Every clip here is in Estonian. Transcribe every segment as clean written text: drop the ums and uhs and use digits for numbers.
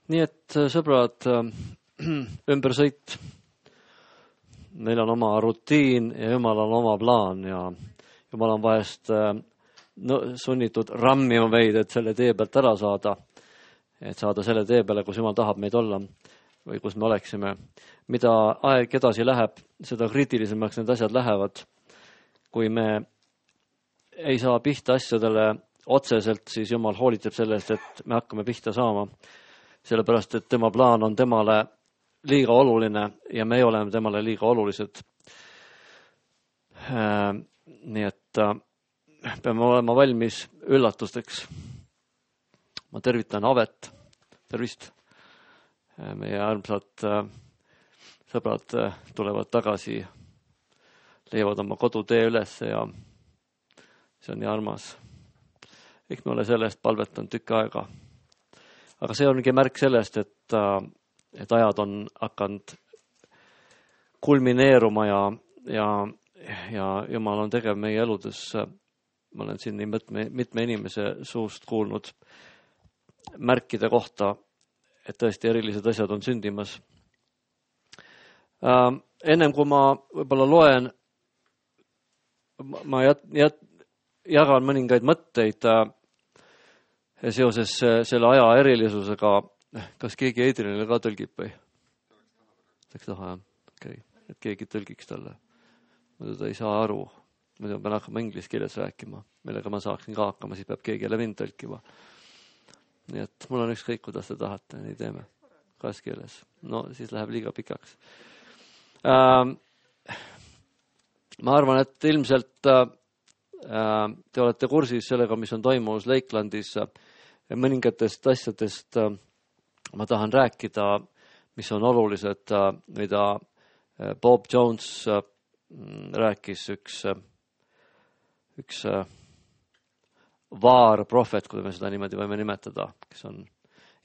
Nii et sõbrad, ümbersõit. Meil on oma rutiin ja Jumal on oma plaan ja Jumal on vahest sunnitud rammima meid, et selle tee pealt ära saada. Et saada selle tee peale, kus Jumal tahab meid olla või kus me oleksime. Mida aeg edasi läheb, seda kriitilisemaks need asjad lähevad. Kui me ei saa pihta asjadele otseselt, siis Jumal hoolitseb sellest, et me hakkame pihta saama. Sellepärast, et tema plaan on temale liiga oluline ja me oleme temale liiga olulised. Nii et peame olema valmis üllatusteks. Ma tervitan Avet. Tervist. Meie armsad sõbrad tulevad tagasi, leiavad oma kodutee üles ja see on nii armas. Eks me ole sellest palvetanud tükk aega. Aga see ongi märk sellest, et ajad on hakanud kulmineeruma ja Jumal on tegev meie eludes. Ma olen siin nii mitme inimese suust kuulnud märkide kohta, et tõesti erilised asjad on sündimas. Ennem kui ma võib-olla loen, ma jagan mõningaid mõtteid seoses selle aja erilisusega. Kas keegi Eidrinile ka tõlgib või? Läks taha, jah? Okay. Et keegi tõlgiks talle. Muidu ta ei saa aru. Muidu pean hakkama inglise keeles rääkima. Millega ma saaksin ka hakkama, siis peab keegi jälle mind tõlkima. Nii et mul on ükskõik, kuidas te tahate, nii teeme. Kas keeles. No siis läheb liiga pikaks. Ma arvan, et ilmselt te olete kursis sellega, mis on toimunud Lakelandis. Mõningatest asjadest ma tahan rääkida, mis on olulised, mida Bob Jones rääkis, üks vaarprohvet, kui me seda niimoodi võime nimetada, kes on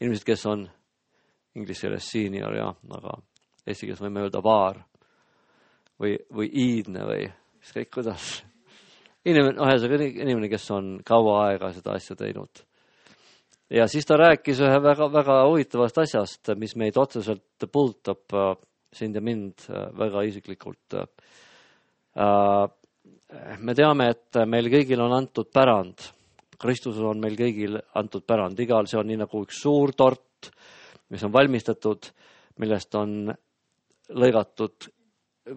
inimesed, kes on inglise keeles senior, ja, aga eesti keeles võime öelda vaar või iidne või ükskõik kuidas. Inimene, kes on kaua aega seda asja teinud. Ja siis ta rääkis ühe väga huvitavast asjast, mis meid otseselt puudutab sind ja mind väga isiklikult. Me teame, et meil kõigil on antud pärand. Kristusel on meil kõigil antud pärand. Igal see on nii nagu üks suur tort, mis on valmistatud, millest on lõigatud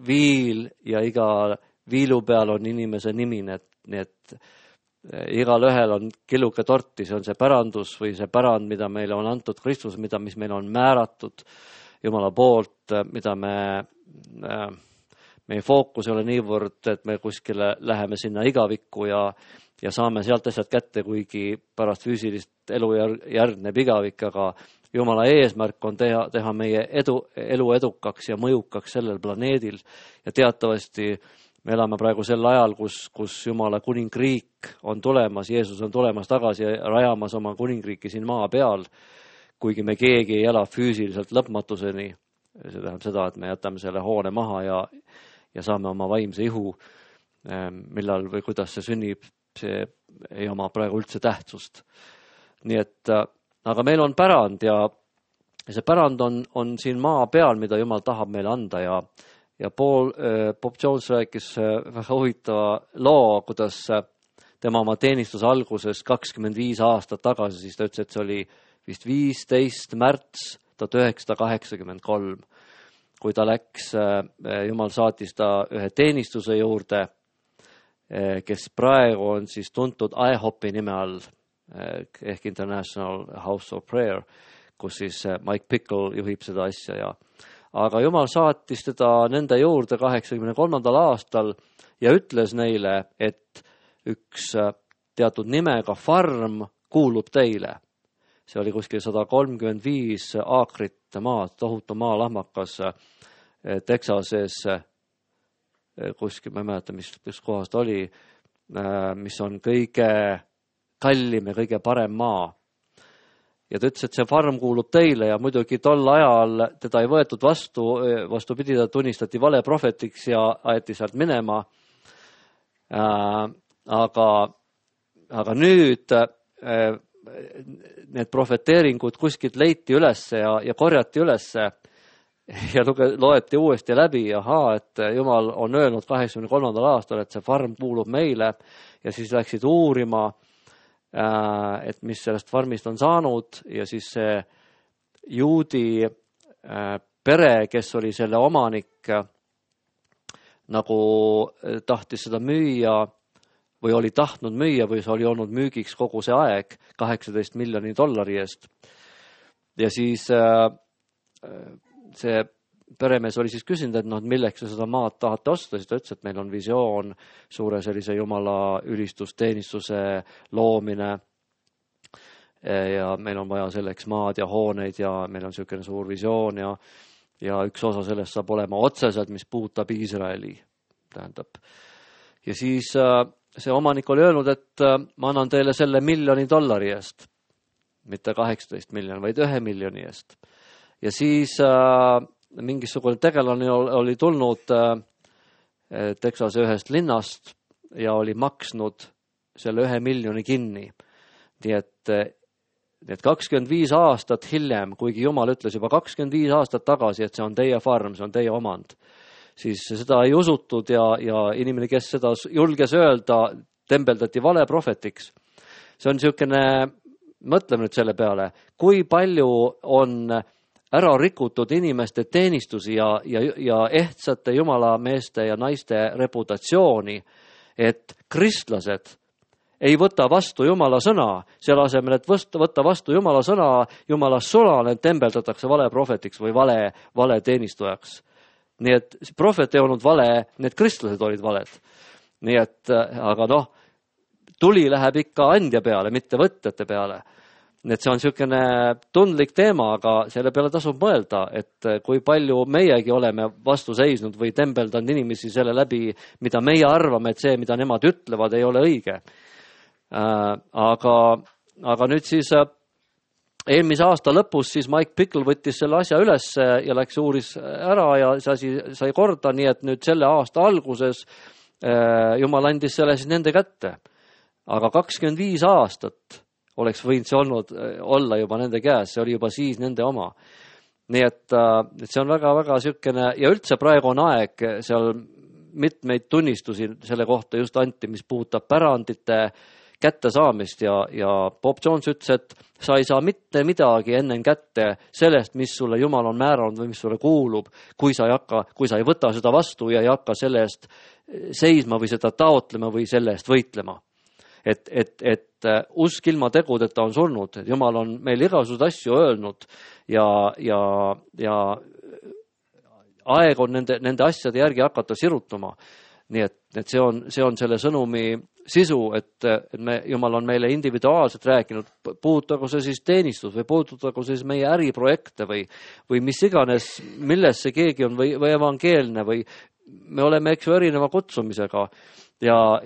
viil ja iga viilu peal on inimese nimi, nii et igal ühel on killuke torti, see on see pärandus või see pärand, mida meile on antud Kristus, mis meil on määratud Jumala poolt, mida meie fookus ei ole niivõrd, et me kuskile läheme sinna igavikku ja saame sealt asjad kätte, kuigi pärast füüsilist elu järgneb igavik, aga Jumala eesmärk on teha meie elu edukaks ja mõjukaks sellel planeedil ja teatavasti me elame praegu sel ajal, kus Jumala kuningriik on tulemas, Jeesus on tulemas tagasi ja rajamas oma kuningriiki siin maa peal, kuigi me keegi ei ela füüsiliselt lõpmatuseni. See tähendab seda, et me jätame selle hoone maha ja saame oma vaimse ihu, millal või kuidas see sünnib, see ei oma praegu üldse tähtsust. Nii et, aga meil on pärand ja see pärand on siin maa peal, mida Jumal tahab meile anda ja Bob Jones rääkis väga huvitava loo, kuidas tema oma teenistuse alguses 25 aastat tagasi, siis ta ütles, et see oli vist 15. märts 1983, kui ta läks, Jumal saatis ta ühe teenistuse juurde, kes praegu on siis tuntud IHOP-i nime all, ehk International House of Prayer, kus siis Mike Pickle juhib seda asja aga Jumal saatis teda nende juurde 83. aastal ja ütles neile, et üks teatud nimega farm kuulub teile. See oli kuskil 135 aakrit maad, tohutu maalahmakas Texases, kuskil, ma ei mäleta, mis kohast oli, mis on kõige kallim ja kõige parem maa. Ja ta ütles, et see farm kuulub teile ja muidugi tol ajal teda ei võetud vastupidi, ta tunnistati valeprohvetiks ja aeti sealt minema. Aga nüüd need profeteeringud kuskilt leiti ülesse ja korjati ülesse ja loeti uuesti läbi, et Jumal on öelnud 83. aastal, et see farm kuulub meile ja siis läksid uurima, et mis sellest farmist on saanud ja siis see juudi pere, kes oli selle omanik, nagu tahtis seda müüa või oli tahtnud müüa või see oli olnud müügiks kogu see aeg $18 miljoni eest. Ja siis see peremees oli siis küsinud, et milleks te seda maad tahate osta, siis ta ütles, et meil on visioon suure sellise Jumala ülistusteenistuse loomine ja meil on vaja selleks maad ja hooneid ja meil on selline suur visioon ja üks osa sellest saab olema otseselt, mis puudutab Iisraeli, tähendab. Ja siis see omanik oli öelnud, et ma annan teile selle $1 miljoni eest, mitte 18 miljoni, vaid 1 miljoni eest. Ja siis mingisugune tegelane oli tulnud Texase ühest linnast ja oli maksnud selle 1 miljoni kinni. Nii et 25 aastat hiljem, kuigi Jumal ütles juba 25 aastat tagasi, et see on teie farm, see on teie omand, siis seda ei usutud ja inimene, kes seda julges öelda, tembeldati valeprohvetiks. See on niisugune, mõtleme nüüd selle peale, kui palju on ära rikutud inimeste teenistusi ja ehtsate jumalameeste ja naiste reputatsiooni, et kristlased ei võta vastu Jumala sõna, selle asemel, et võtta vastu Jumala sõna, Jumala sõna tembeldatakse valeprohvetiks või vale teenistujaks. Nii et prohvet ei olnud vale, need kristlased olid valed. Nii et, aga tuli läheb ikka andja peale, mitte võtjate peale. Nii et see on niisugune tundlik teema, aga selle peale tasub mõelda, et kui palju meiegi oleme vastu seisnud või tembeldanud inimesi selle läbi, mida meie arvame, et see, mida nemad ütlevad, ei ole õige. Aga nüüd siis eelmise aasta lõpus siis Mike Pickle võttis selle asja üles ja läks uuris ära ja see asi sai korda, nii et nüüd selle aasta alguses Jumal andis selle siis nende kätte. Aga 25 aastat oleks võinud see olla juba nende käes, see oli juba siis nende oma. Nii et see on väga-väga niisugune ja üldse praegu on aeg seal mitmeid tunnistusi selle kohta just anti, mis puudutab pärandite kättesaamist ja Bob Jones ütles, et sa ei saa mitte midagi enne kätte sellest, mis sulle Jumal on määranud või mis sulle kuulub, kui sa ei võta seda vastu ja ei hakka selle eest seisma või seda taotlema või selle eest võitlema. Et usk ilma tegudeta on surnud, et Jumal on meil igasugused asju öelnud ja aeg on nende asjade järgi hakata sirutuma. Nii et see on selle sõnumi sisu, et Jumal on meile individuaalselt rääkinud, puudutagu see siis teenistus või puudutagu siis meie äriprojekte või mis iganes, milles see keegi on või evangeelne või me oleme erineva kutsumisega ja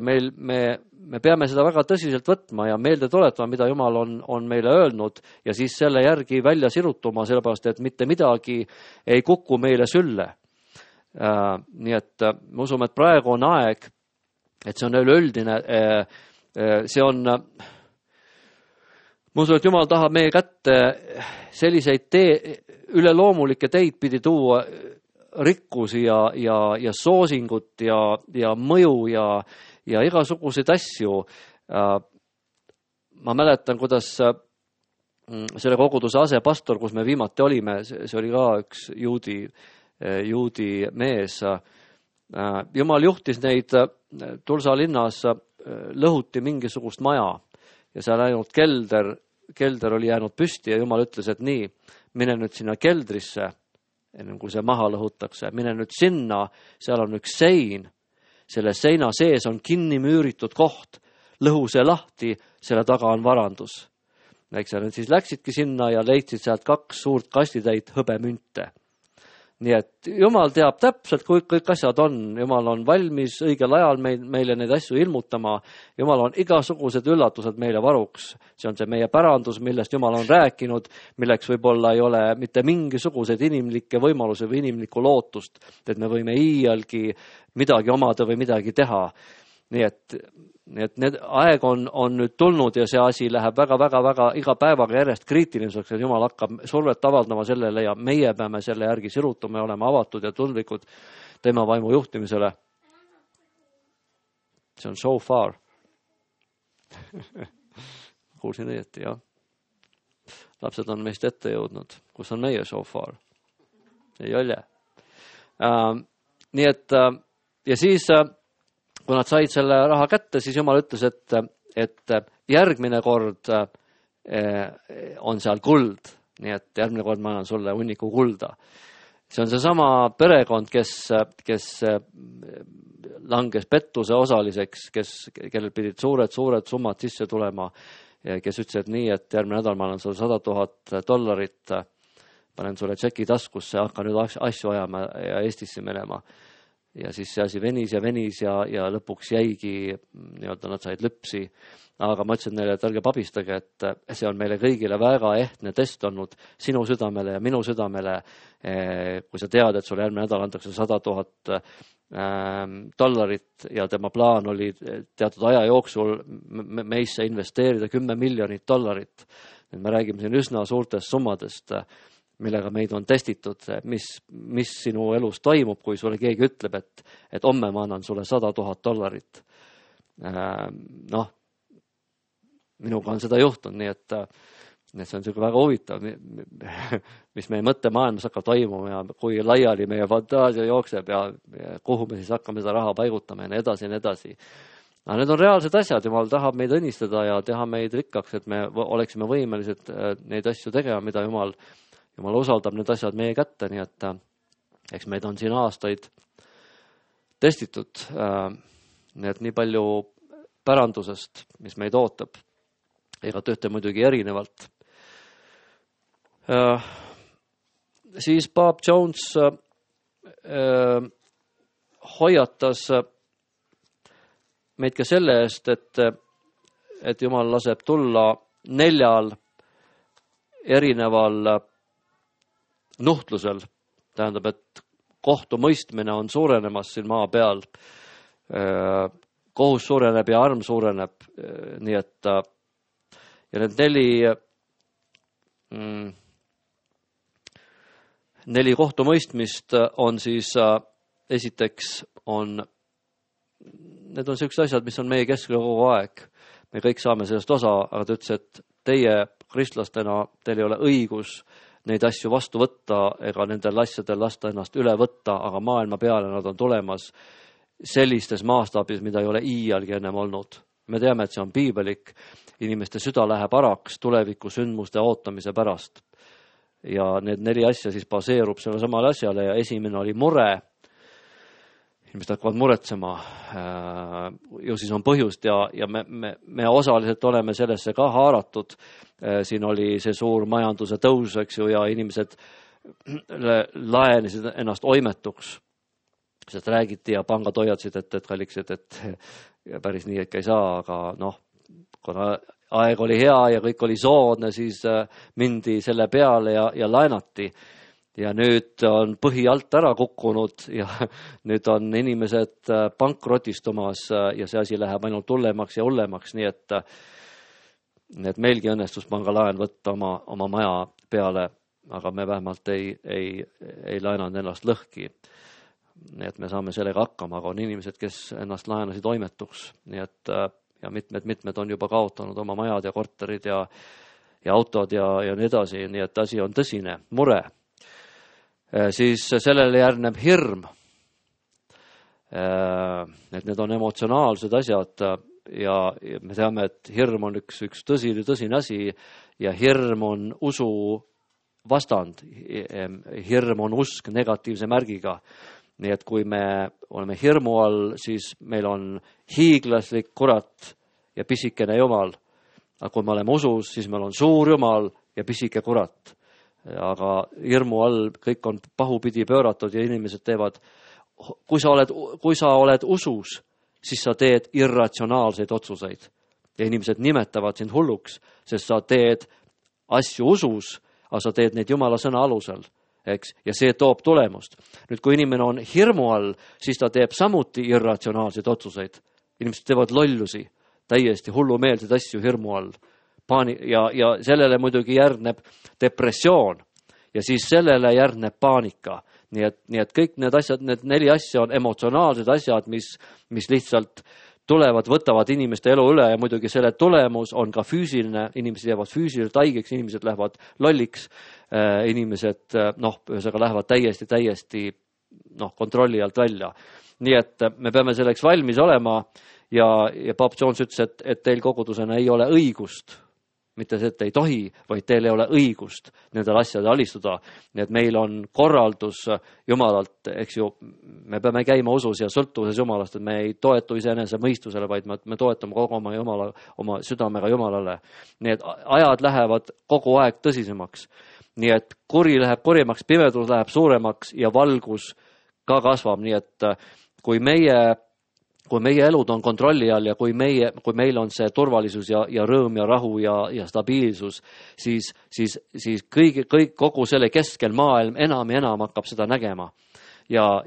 me peame seda väga tõsiselt võtma ja meelde tuletama, mida Jumal on meile öelnud ja siis selle järgi välja sirutuma, sellepärast et mitte midagi ei kuku meile sülle. Nii et me usume, et praegu on aeg, et see on üleüldine, see on, ma usun, et Jumal tahab meie kätte selliseid üleloomulikke teid pidi tuua rikkusi ja soosingut ja mõju ja igasuguseid asju. Ma mäletan, kuidas selle koguduse asepastor, kus me viimati olime, see oli ka üks juudi mees. Jumal juhtis neid Tulsa linnas, lõhuti mingisugust maja ja seal ainult kelder oli jäänud püsti ja Jumal ütles, et nii, mine nüüd sinna keldrisse, enne kui see maha lõhutakse, mine nüüd sinna, seal on üks sein, selle seina sees on kinni müüritud koht, lõhu see lahti, selle taga on varandus. Eks nad siis läksidki sinna ja leidsid sealt 2 suurt kastitäit hõbemünte. Nii et Jumal teab täpselt, kui kõik asjad on. Jumal on valmis õigel ajal meile neid asju ilmutama. Jumal on igasugused üllatused meile varuks. See on see meie pärandus, millest Jumal on rääkinud, milleks võib-olla ei ole mitte mingisuguseid inimlikke võimalusi või inimlikku lootust, et me võime iialgi midagi omada või midagi teha. Nii et Nii et need aeg on nüüd tulnud ja see asi läheb väga iga päevaga järjest kriitiliseks, et Jumal hakkab survet avaldama sellele ja meie peame selle järgi sirutama ja olema avatud ja tundlikud tema vaimu juhtimisele. See on so far. Kuulsin õieti, jah. Lapsed on meist ette jõudnud. Kus on meie so far? Ei ole. Nii et, ja siis, kui nad said selle raha kätte, siis Jumal ütles, et järgmine kord on seal kuld. Nii et järgmine kord ma annan sulle hunniku kulda. See on seesama perekond, kes langes pettuse osaliseks, kellel pidid suured summad sisse tulema, kes ütles, et nii, et järgmine nädal ma annan sulle $100,000, panen sulle tšeki taskusse, hakka nüüd asju ajama ja Eestisse minema. Ja siis see asi venis ja lõpuks jäigi, nii-öelda nad said lüpsi. Aga ma ütlesin neile, et ärge pabistage, et see on meile kõigile väga ehtne test olnud sinu südamele ja minu südamele, kui sa tead, et sulle järgmine nädal antakse $100,000 ja tema plaan oli teatud aja jooksul meisse investeerida $10 miljonit. Me räägime siin üsna suurtest summadest, millega meid on testitud, mis sinu elus toimub, kui sulle keegi ütleb, et homme ma annan sulle $100,000. Noh, minuga on seda juhtunud, nii et see on väga huvitav, mis meie mõttemaailmas hakkab toimuma ja kui laiali meie fantaasia jookseb ja kuhu me siis hakkame seda raha paigutama ja nii edasi. Aga need on reaalsed asjad, Jumal tahab meid õnnistada ja teha meid rikkaks, et me oleksime võimelised neid asju tegema, mida Jumal usaldab need asjad meie kätte, nii et eks meid on siin aastaid testitud, nii et nii palju pärandusest, mis meid ootab. Ega tööte muidugi erinevalt. Siis Bob Jones hoiatas meid ka selle eest, et Jumal laseb tulla 4 erineval nuhtlusel. Tähendab, et kohtumõistmine on suurenemas siin maa peal. Kohus suureneb ja arm suureneb, nii et ja need 4 kohtumõistmist on siis esiteks need on sellised asjad, mis on meie keskel kogu aeg. Me kõik saame sellest osa, aga ta ütles, et teie kristlastena, teil ei ole õigus neid asju vastu võtta ega nendel asjadel lasta ennast üle võtta, aga maailma peale nad on tulemas sellistes mastaabis, mida ei ole iialgi ennem olnud. Me teame, et see on piibelik. Inimeste süda läheb araks tuleviku sündmuste ootamise pärast. Ja need 4 asja siis baseerub selle samale asjale ja esimene oli mure. Inimesed hakkavad muretsema. Ju siis on põhjust ja me osaliselt oleme sellesse ka haaratud. Siin oli see suur majanduse tõus, eks ju, ja inimesed laenesid ennast oimetuks. Sest räägiti ja pangad hoiatasid, et kalliksid, et päris nii ikka ei saa, aga noh, kuna aeg oli hea ja kõik oli soodne, siis mindi selle peale ja laenati. Ja nüüd on põhi alt ära kukkunud ja nüüd on inimesed pankrotistumas ja see asi läheb ainult hullemaks ja hullemaks, nii et meilgi õnnestus pangalaen võtta oma maja peale, aga me vähemalt ei laenanud ennast lõhki. Nii et me saame sellega hakkama, aga on inimesed, kes ennast laenasid oimetuks, nii et ja mitmed on juba kaotanud oma majad ja korterid ja autod ja nii edasi, nii et asi on tõsine, mure. Siis sellele järgneb hirm. Et need on emotsionaalsed asjad ja me teame, et hirm on üks tõsine asi ja hirm on usu vastand. Hirm on usk negatiivse märgiga. Nii et kui me oleme hirmu all, siis meil on hiiglaslik kurat ja pisikene Jumal. Aga kui me oleme usus, siis meil on suur Jumal ja pisike kurat. Aga hirmu all kõik on pahupidi pööratud ja inimesed teevad, kui sa oled usus, siis sa teed irratsionaalseid otsuseid. Ja inimesed nimetavad sind hulluks, sest sa teed asju usus, aga sa teed neid Jumala sõna alusel. Eks? Ja see toob tulemust. Nüüd, kui inimene on hirmu all, siis ta teeb samuti irratsionaalseid otsuseid. Inimesed teevad lollusi, täiesti hullumeelseid asju hirmu all. Ja sellele muidugi järgneb depressioon ja siis sellele järgneb paanika. Nii et kõik need asjad, need 4 asja on emotsionaalsed asjad, mis lihtsalt tulevad, võtavad inimeste elu üle ja muidugi selle tulemus on ka füüsiline, inimesed jäävad füüsiliselt haigeks, inimesed lähevad lolliks, inimesed ühesõnaga lähevad täiesti kontrolli alt välja. Nii et me peame selleks valmis olema ja Paap Jones ütles, et teil kogudusena ei ole õigust, mitte see, et ei tohi, vaid teil ei ole õigust nendel asjadel alistuda. Nii et meil on korraldus Jumalalt, eks ju, me peame käima usus ja sõltuvuses Jumalast, et me ei toetu iseenese mõistusele, vaid me toetame kogu oma südamega Jumalale. Nii et ajad lähevad kogu aeg tõsisemaks. Nii et kuri läheb kurimaks, pimedus läheb suuremaks ja valgus ka kasvab. Nii et kui meie elud on kontrolli all ja kui meil on see turvalisus ja rõõm ja rahu ja stabiilsus, siis kogu selle keskel maailm enam ja enam hakkab seda nägema. Ja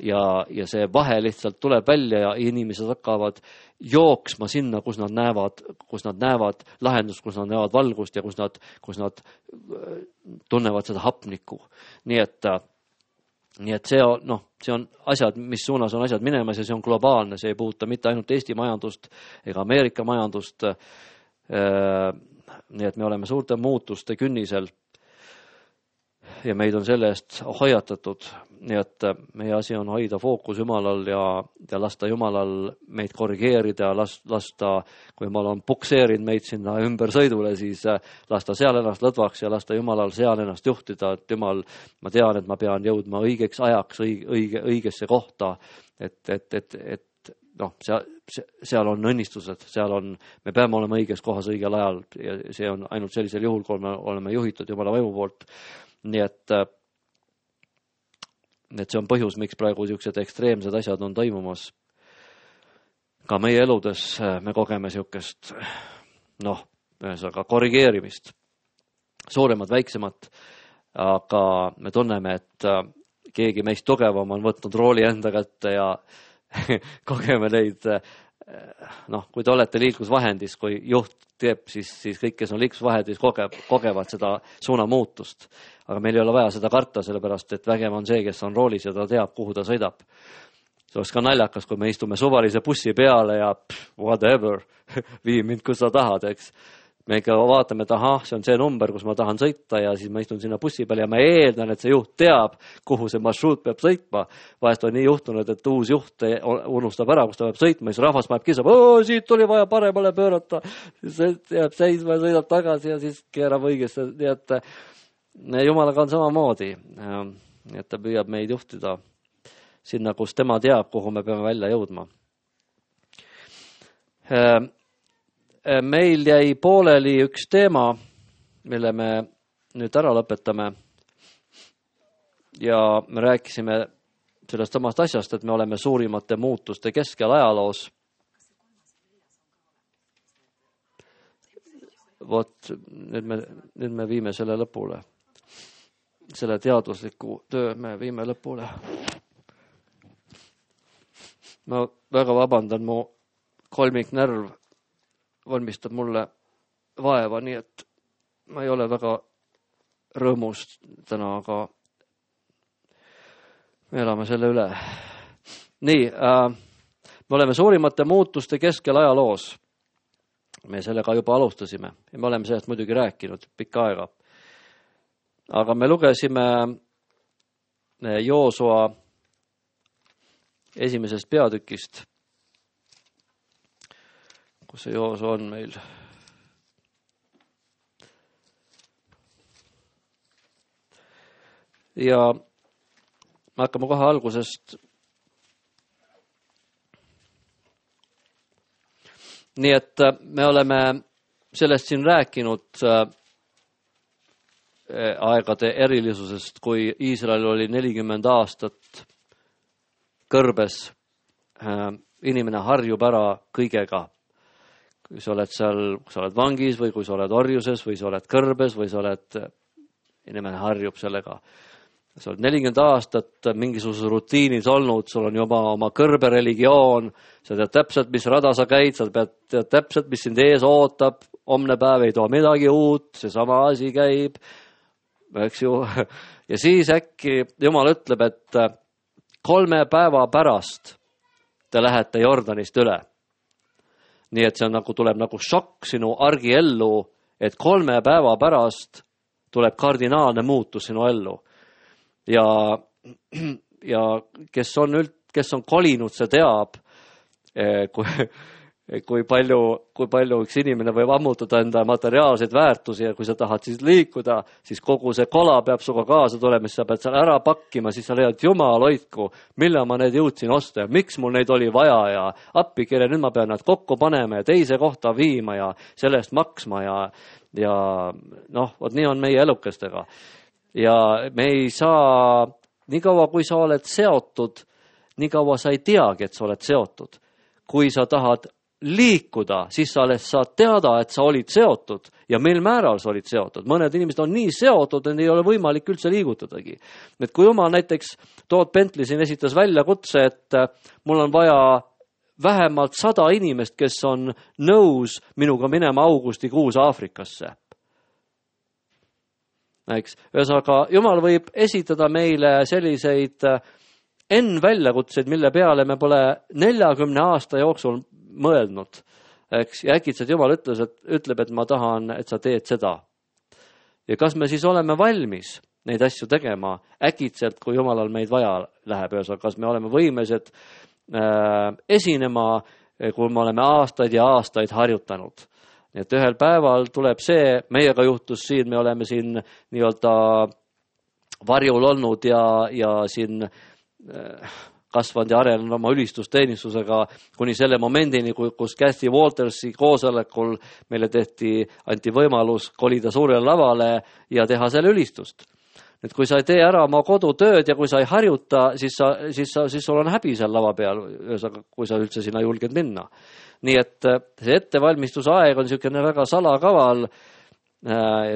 see vahe lihtsalt tuleb välja ja inimesed hakkavad jooksma sinna, kus nad näevad lahendust, kus nad näevad valgust ja kus nad tunnevad seda hapnikku. Nii et see on asjad, mis suunas on asjad minemas ja see on globaalne, see ei puuduta mitte ainult Eesti majandust ega Ameerika majandust. Nii et me oleme suurte muutuste künnisel ja meid on selle eest hoiatatud. Nii et meie asi on hoida fookus Jumalal ja lasta Jumalal meid korrigeerida, lasta, kui Jumal on pukseerinud meid sinna ümbersõidule, siis lasta seal ennast lõdvaks ja lasta Jumalal seal ennast juhtida, et Jumal, ma tean, et ma pean jõudma õigeks ajaks õigesse kohta, et seal on õnnistused, me peame olema õiges kohas õigel ajal ja see on ainult sellisel juhul, kui me oleme juhitud Jumala võimu poolt. Nii et see on põhjus, miks praegu niisugused ekstreemsed asjad on toimumas. Ka meie eludes me kogeme niisugust, ühesõnaga korrigeerimist, suuremat, väiksemat, aga me tunneme, et keegi meist tugevam on võtnud rooli enda kätte ja kogeme neid, kui te olete liiklusvahendis, kui juht teeb, siis kõik, kes on liiklusvahendis, kogevad seda suunamuutust. Aga meil ei ole vaja seda karta, sellepärast, et vägev on see, kes on roolis ja ta teab, kuhu ta sõidab. See oleks ka naljakas, kui me istume suvalise bussi peale ja whatever, vii mind, kus sa tahad, eks. Me ikka vaatame, et see on see number, kus ma tahan sõita ja siis ma istun sinna bussi peale ja ma eeldan, et see juht teab, kuhu see marsruut peab sõitma. Vahest on nii juhtunud, et uus juht unustab ära, kus ta peab sõitma, siis rahvas maeb kisab, siit oli vaja paremale pöörata, siis jääb seisma ja sõidab tagasi ja siis keerab õigesse. Nii et Jumalaga on samamoodi, et ta püüab meid juhtida sinna, kus tema teab, kuhu me peame välja jõudma. Meil jäi pooleli üks teema, mille me nüüd ära lõpetame ja me rääkisime sellest samast asjast, et me oleme suurimate muutuste keskel ajaloos. Vot, nüüd me viime selle lõpule. Selle teadusliku töö me viime lõpule. Ma väga vabandan, mu kolmiknärv valmistab mulle vaeva, nii et ma ei ole väga rõõmus täna, aga me elame selle üle. Nii, me oleme suurimate muutuste keskel ajaloos. Me sellega juba alustasime ja me oleme sellest muidugi rääkinud pikka aega. Aga me lugesime Joosua 1. peatükist, kus see Joosua on meil. Ja me hakkame kohe algusest. Nii et me oleme sellest siin rääkinud aegade erilisusest, kui Iisrael oli 40 aastat kõrbes. Inimene harjub ära kõigega. Kui sa oled seal, kui sa oled vangis või kui sa oled orjuses või sa oled kõrbes või sa oled, inimene harjub sellega. sa oled 40 aastat mingisuguses rutiinis olnud, sul on juba oma kõrbereligioon, sa tead täpselt, mis rada sa käid, sa tead täpselt, mis sind ees ootab, homne päev ei too midagi uut, seesama asi käib, eks ju. Ja siis äkki Jumal ütleb, et 3 päeva pärast te lähete Jordanist üle. Nii et see on tuleb šokk sinu argiellu, et 3 päeva pärast tuleb kardinaalne muutus sinu ellu. Ja kes on kolinud, see teab, kui palju üks inimene võib ammutada enda materiaalseid väärtusi ja kui sa tahad siis liikuda, siis kogu see kola peab suga kaasa tulema, siis sa pead seal ära pakkima, siis sa leiad, Jumal hoidku, mille ma need jõudsin osta ja miks mul neid oli vaja ja appikirja, nüüd ma pean nad kokku panema ja teise kohta viima ja selle eest maksma ja vot nii on meie elukestega. Ja me ei saa, nii kaua kui sa oled seotud, nii kaua sa ei teagi, et sa oled seotud. Kui sa tahad liikuda, siis sa alles saad teada, et sa olid seotud ja mil määral sa olid seotud. Mõned inimesed on nii seotud, et ei ole võimalik üldse liigutadagi. Et kui Jumal näiteks Todd Bentley siin esitas väljakutse, et mul on vaja vähemalt 100 inimest, kes on nõus minuga minema augustikuus Aafrikasse. Ühesõnaga, Jumal võib esitada meile selliseid väljakutseid, mille peale me pole 40 aasta jooksul mõelnud. Ja äkitselt Jumal ütleb, et ma tahan, et sa teed seda. Ja kas me siis oleme valmis neid asju tegema äkitselt, kui Jumalal meid vaja läheb? Kas me oleme võimelised esinema, kui me oleme aastaid ja aastaid harjutanud? Nii et ühel päeval tuleb see, meiega juhtus siin, me oleme siin nii-öelda varjul olnud ja siin kasvanud ja arenenud oma ülistusteenistusega kuni selle momendini, kus Kathy Waltersi koosolekul meile anti võimalus kolida suurele lavale ja teha selle ülistust. Et kui sa ei tee ära oma kodutööd ja kui sa ei harjuta, siis sul on häbi seal lava peal, kui sa üldse sinna julged minna. Nii et see ettevalmistuse aeg on niisugune väga salakaval.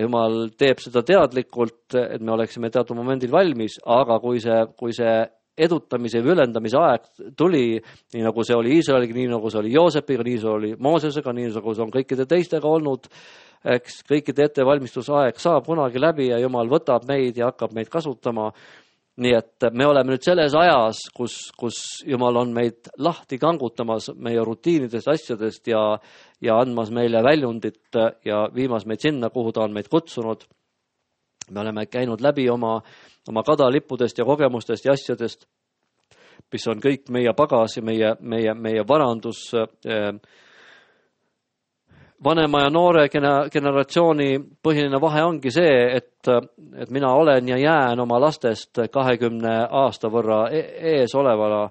Jumal teeb seda teadlikult, et me oleksime teatud momendil valmis, aga kui see edutamise või ülendamise aeg tuli, nii nagu see oli Iisraeliga, nii nagu see oli Joosepiga, nii see oli Moosesega, nii nagu see on kõikide teistega olnud, eks kõikide ettevalmistuse aeg saab kunagi läbi ja Jumal võtab meid ja hakkab meid kasutama. Nii et me oleme nüüd selles ajas, kus Jumal on meid lahti kangutamas meie rutiinidest, asjadest ja andmas meile väljundit ja viimas meid sinna, kuhu ta on meid kutsunud. Me oleme käinud läbi oma kadalippudest ja kogemustest ja asjadest, mis on kõik meie pagas ja meie varandus. Vanema ja noore generatsiooni põhiline vahe ongi see, et mina olen ja jään oma lastest 20 aasta võrra ees olevana.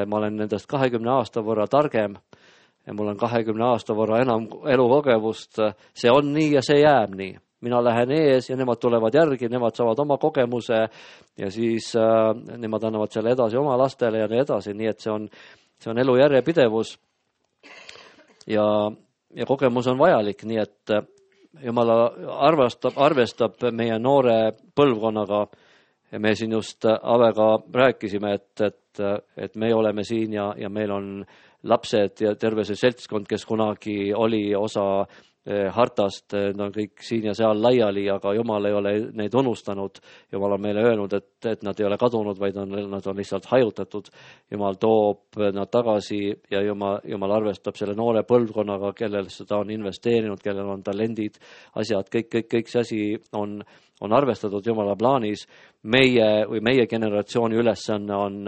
Ma olen nendest 20 aasta võrra targem ja mul on 20 aasta võrra enam elukogemust. See on nii ja see jääb nii. Mina lähen ees ja nemad tulevad järgi, nemad saavad oma kogemuse ja siis nemad annavad selle edasi oma lastele ja nii edasi. Nii et see on elu järjepidevus ja kogemus on vajalik, nii et Jumal arvestab meie noore põlvkonnaga ja me siin just Avega rääkisime, et me oleme siin ja meil on lapsed ja terve see seltskond, kes kunagi oli osa hartast, nad on kõik siin ja seal laiali, aga Jumal ei ole neid unustanud. Jumal on meile öelnud, et nad ei ole kadunud, vaid nad on lihtsalt hajutatud. Jumal toob nad tagasi ja Jumal arvestab selle noore põlvkonnaga, kellel seda on investeerinud, kellel on talendid, asjad, kõik see asi on arvestatud Jumala plaanis. Meie generatsiooni ülesanne on,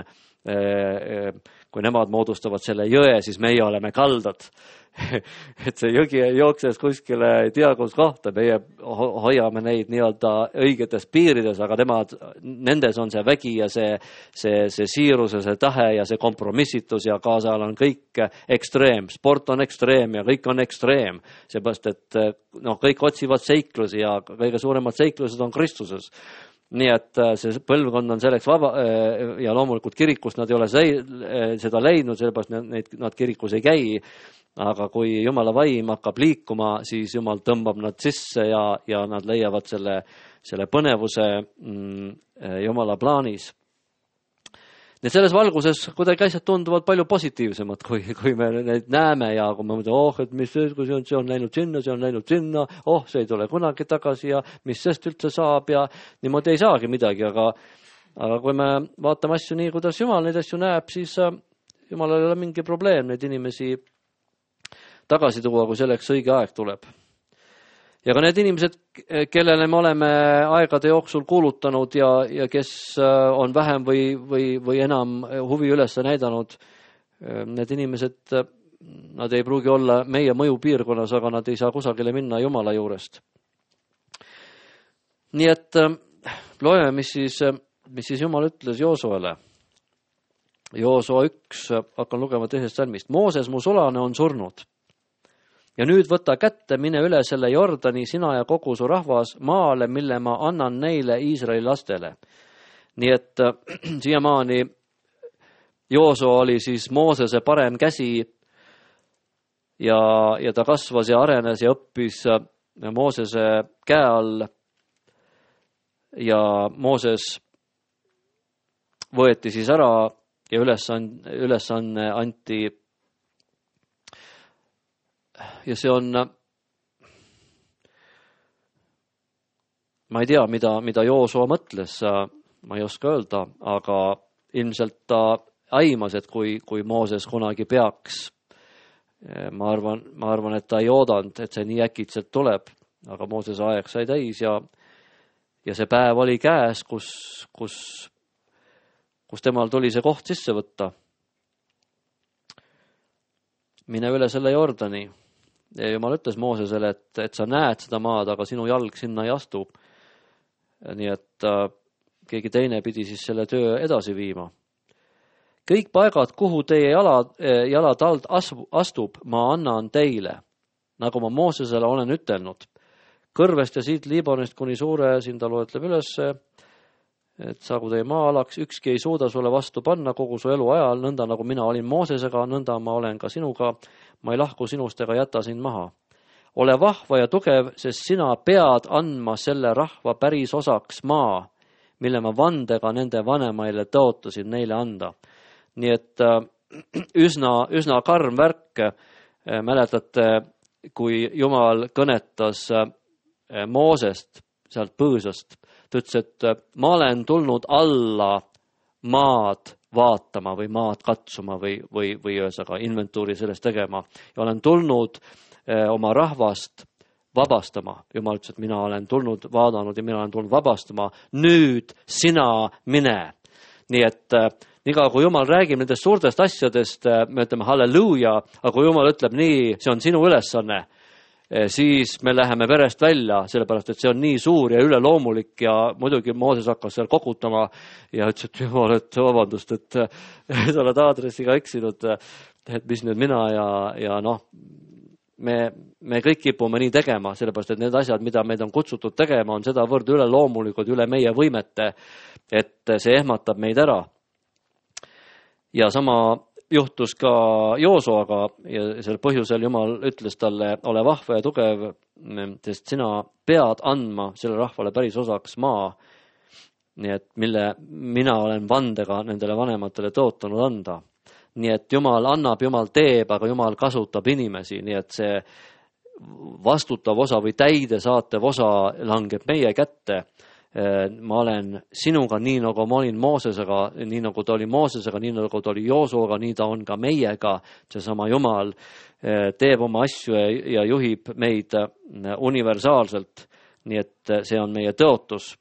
kui nemad moodustavad selle jõe, siis meie oleme kaldad. Et see jõgi ei jookses kuskile ei tea kus kohta, meie hoiame neid nii-öelda õigetes piirides, aga nendes on see vägi ja see siirus ja see tahe ja see kompromissitus ja kaasal on kõik ekstreem, sport on ekstreem ja kõik on ekstreem, seepärast et kõik otsivad seiklusi ja kõige suuremad seiklused on Kristuses. Nii et see põlvkond on selleks vaba ja loomulikult kirikus nad ei ole seda leidnud, sellepärast nad kirikus ei käi, aga kui Jumala vaim hakkab liikuma, siis Jumal tõmbab nad sisse ja nad leiavad selle põnevuse Jumala plaanis. Nii selles valguses kuidagi asjad tunduvad palju positiivsemad, kui me neid näeme ja kui me mõtleme, et mis kui see on läinud sinna, see ei tule kunagi tagasi ja mis sest üldse saab ja niimoodi ei saagi midagi, aga kui me vaatame asju nii, kuidas Jumal neid asju näeb, siis Jumalal ei ole mingi probleem neid inimesi tagasi tuua, kui selleks õige aeg tuleb. Ja ka need inimesed, kellele me oleme aegade jooksul kuulutanud ja kes on vähem või enam huvi üles näidanud, need inimesed, nad ei pruugi olla meie mõjupiirkonnas, aga nad ei saa kusagile minna Jumala juurest. Nii et loeme, mis siis Jumal ütles Joosuale. Joosua 1, hakkan lugema 2. salmist. Mooses, mu sulane, on surnud. Ja nüüd võta kätte, mine üle selle Jordani, sina ja kogu su rahvas maale, mille ma annan neile Iisraeli lastele. Nii et siiamaani Joosua oli siis Moosese parem käsi ja ta kasvas ja arenes ja õppis Moosese käe all ja Mooses võeti siis ära ja ülesanne anti. Ja see on, ma ei tea, mida Joosua mõtles, ma ei oska öelda, aga ilmselt ta aimas, et kui Mooses kunagi peaks, ma arvan, et ta ei oodanud, et see nii äkitselt tuleb, aga Moosese aeg sai täis ja see päev oli käes, kus temal tuli see koht sisse võtta. Mine üle selle Jordani. Ja Jumal ütles Moosesele, et sa näed seda maad, aga sinu jalg sinna ei astu. Nii et keegi teine pidi siis selle töö edasi viima. Kõik paigad, kuhu teie jalad alt astub, ma annan teile, nagu ma Moosesele olen ütelnud. Kõrvest ja siit Liibanonist kuni suure, siin ta loetleb üles, et saagu teie maa-alaks, ükski ei suuda sulle vastu panna kogu su elu ajal, nõnda nagu mina olin Moosesega, nõnda ma olen ka sinuga, ma ei lahku sinust ega jäta sind maha. Ole vahva ja tugev, sest sina pead andma selle rahva päris osaks maa, mille ma vandega nende vanemaile tõotasin neile anda. Nii et üsna karm värk, mäletate, kui Jumal kõnetas Moosest sealt põõsast, ta ütles, et ma olen tulnud alla maad vaatama või maad katsuma või ühesõnaga inventuuri sellest tegema ja olen tulnud oma rahvast vabastama. Jumal ütles, et mina olen tulnud, vaadanud ja mina olen tulnud vabastama. Nüüd sina mine. Nii et niikaua kui Jumal räägib nendest suurtest asjadest, me ütleme halleluuja, aga kui Jumal ütleb nii, see on sinu ülesanne, siis me läheme verest välja, sellepärast, et see on nii suur ja üleloomulik ja muidugi Mooses hakkas seal kokutama ja ütles, et Jumal, et vabandust, et sa oled aadressiga eksinud, et mis nüüd mina ja noh, me kõik kipume nii tegema, sellepärast, et need asjad, mida meid on kutsutud tegema, on sedavõrd üleloomulikud üle meie võimete, et see ehmatab meid ära. Ja sama juhtus ka Joosuaga ja sel põhjusel Jumal ütles talle, ole vahva ja tugev, sest sina pead andma selle rahvale päris osaks maa, nii et mille mina olen vandega nendele vanematele tõotanud anda. Nii et Jumal annab, Jumal teeb, aga Jumal kasutab inimesi, nii et see vastutav osa või täidesaatev osa langeb meie kätte. Ma olen sinuga nii nagu ma olin Moosesega, nii nagu ta oli Moosesega, nii nagu ta oli Joosuaga, nii ta on ka meiega. Seesama Jumal teeb oma asju ja juhib meid universaalselt, nii et see on meie tõotus.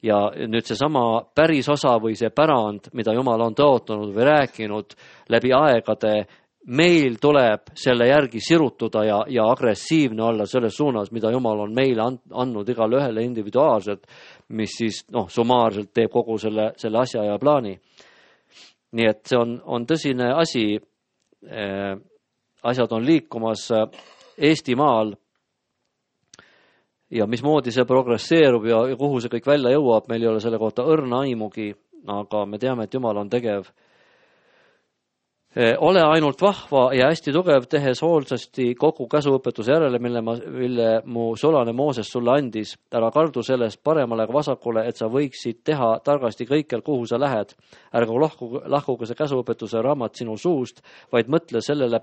Ja nüüd seesama päris osa või see pärand, mida Jumal on tõotanud või rääkinud läbi aegade, meil tuleb selle järgi sirutuda ja agressiivne olla selles suunas, mida Jumal on meile andnud igale ühele individuaalselt, mis siis summaarselt teeb kogu selle asja ja plaani. Nii et see on tõsine asi. Asjad on liikumas Eestimaal ja mismoodi see progresseerub ja kuhu see kõik välja jõuab, meil ei ole selle kohta õrna aimugi, aga me teame, et Jumal on tegev. Ole ainult vahva ja hästi tugev, tehes hoolsasti kogu käsuõpetuse järele, mille mu sulane Mooses sulle andis. Ära kardu sellest paremale ega vasakule, et sa võiksid teha targasti kõikjal, kuhu sa lähed. Ärgu lahkuge see käsuõpetuse raamat sinu suust, vaid mõtle sellele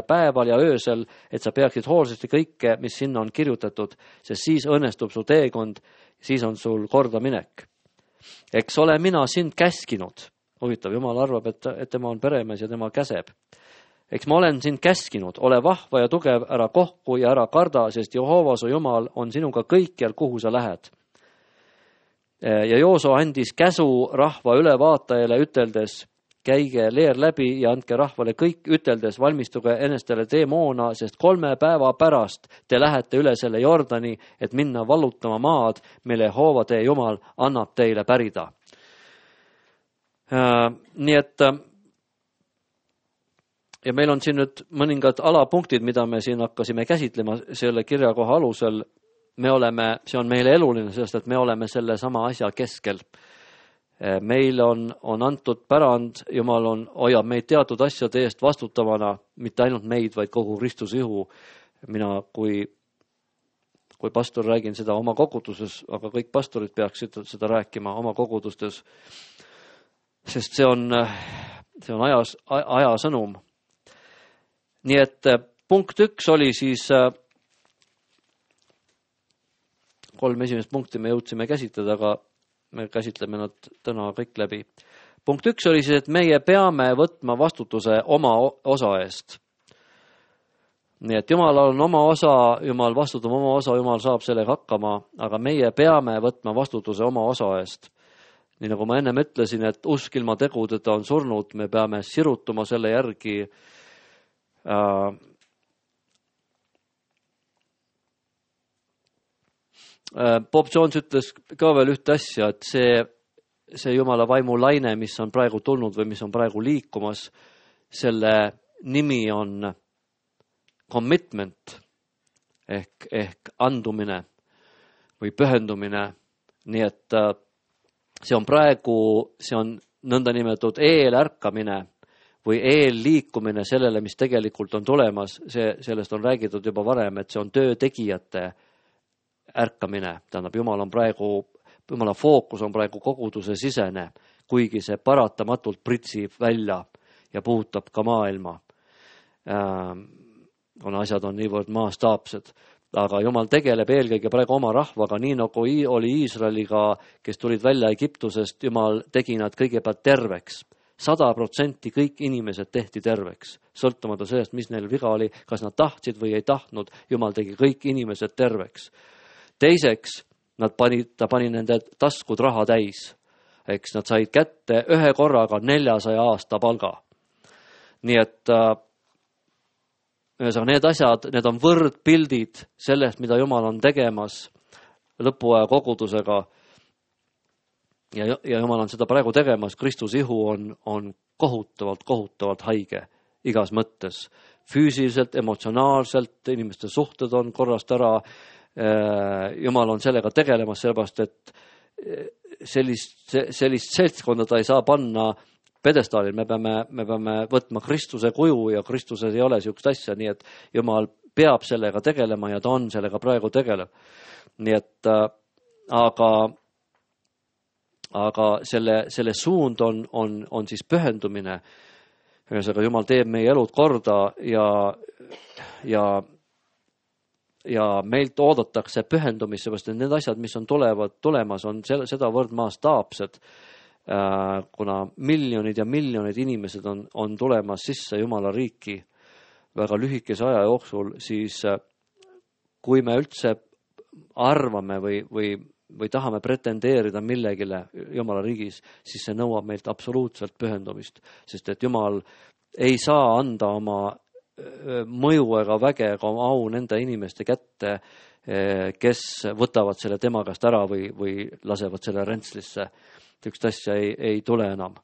päeval ja öösel, et sa peaksid hoolsasti kõike, mis sinna on kirjutatud, sest siis õnnestub su teekond, siis on sul kordaminek. Eks ole mina sind käskinud. Huvitav, Jumal arvab, et tema on peremees ja tema käseb. Eks ma olen sind käskinud, ole vahva ja tugev, ära kohku ja ära karda, sest Jehova su Jumal on sinuga kõikjal, kuhu sa lähed. Ja Jooso andis käsu rahva ülevaatajale üteldes, käige leer läbi ja andke rahvale kõik üteldes, valmistuge enestele teemoona, sest 3 päeva pärast te lähete üle selle Jordani, et minna vallutama maad, mille Jehova teie Jumal annab teile pärida. Nii et ja meil on siin nüüd mõningad alapunktid, mida me siin hakkasime käsitlema selle kirjakoha alusel. See on meile eluline, sest et me oleme selle sama asja keskel. Meil on antud pärand, Jumal hoiab meid teatud asjade eest vastutavana, mitte ainult meid, vaid kogu Kristuse ihu. Mina kui pastor räägin seda oma koguduses, aga kõik pastorid peaksid seda rääkima oma kogudustes, sest see on aja sõnum. Nii et punkt 1 oli siis 3 esimest punkti me jõudsime käsitleda, aga me käsitleme nad täna kõik läbi. Punkt 1 oli siis, et meie peame võtma vastutuse oma osa eest. Nii et Jumal on oma osa, Jumal vastutab oma osa, Jumal saab sellega hakkama, aga meie peame võtma vastutuse oma osa eest. Nii nagu ma ennem ütlesin, et usk ilma tegudeta on surnud, me peame sirutuma selle järgi. Bob Jones ütles ka veel ühte asja, et see Jumala vaimu laine, mis on praegu tulnud või mis on praegu liikumas, selle nimi on commitment ehk andumine või pühendumine. Nii et see on nõndanimetatud eelärkamine või eelliikumine sellele, mis tegelikult on tulemas. Sellest on räägitud juba varem, et see on töötegijate ärkamine. Tähendab, Jumala fookus on praegu koguduse sisene, kuigi see paratamatult pritsib välja ja puudutab ka maailma. Kuna asjad on niivõrd maastaapsed. Aga Jumal tegeleb eelkõige praegu oma rahvaga, nii nagu oli Iisraeliga, kes tulid välja Egiptusest. Jumal tegi nad kõigepealt terveks. 100% kõik inimesed tehti terveks. Sõltumata sellest, mis neil viga oli, kas nad tahtsid või ei tahtnud, Jumal tegi kõik inimesed terveks. Teiseks, ta pani nende taskud raha täis. Eks nad said kätte ühe korraga 400 aasta palga. Nii et need asjad, need on võrdpildid sellest, mida Jumal on tegemas lõpuaja kogudusega. Ja Jumal on seda praegu tegemas. Kristuse ihu on kohutavalt haige igas mõttes. Füüsiliselt, emotsionaalselt, inimeste suhted on korrast ära. Jumal on sellega tegelemas, sellepärast, et sellist seltskonda ta ei saa panna pedestaalil. Me peame võtma Kristuse kuju ja Kristuses ei ole sellist asja, nii et Jumal peab sellega tegelema ja ta on sellega praegu tegeleb. Nii et aga selle suund on siis pühendumine. Ühesõnaga, Jumal teeb meie elud korda ja meilt oodatakse pühendumist, seepärast et need asjad, mis on tulemas, on sedavõrd maastaapsed, kuna miljonid ja miljonid inimesed on tulemas sisse Jumala riiki väga lühikese aja jooksul, siis kui me üldse arvame või tahame pretendeerida millegile Jumala riigis, siis see nõuab meilt absoluutselt pühendumist, sest et Jumal ei saa anda oma mõju ega väge ega oma au nende inimeste kätte, kes võtavad selle tema käest ära või lasevad selle rentslisse. Üks asja ei tule enam,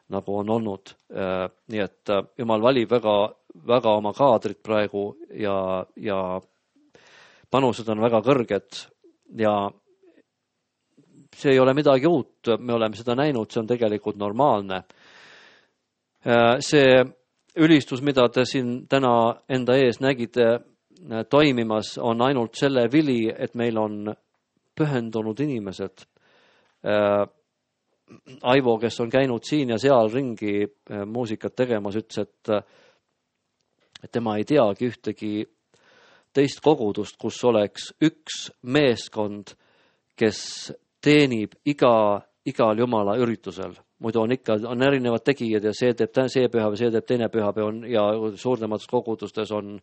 nagu on olnud. Nii et Jumal valib väga oma kaadrit praegu ja panused on väga kõrged ja see ei ole midagi uut, me oleme seda näinud, see on tegelikult normaalne. See ülistus, mida te siin täna enda ees nägite toimimas, on ainult selle vili, et meil on pühendunud inimesed. Aivo, kes on käinud siin ja seal ringi muusikat tegemas, ütles, et tema ei teagi ühtegi teist kogudust, kus oleks üks meeskond, kes teenib igal Jumala üritusel. Muidu on erinevad tegijad ja see teeb see pühapäev, see teeb teine pühapäev ja suuremates kogudustes on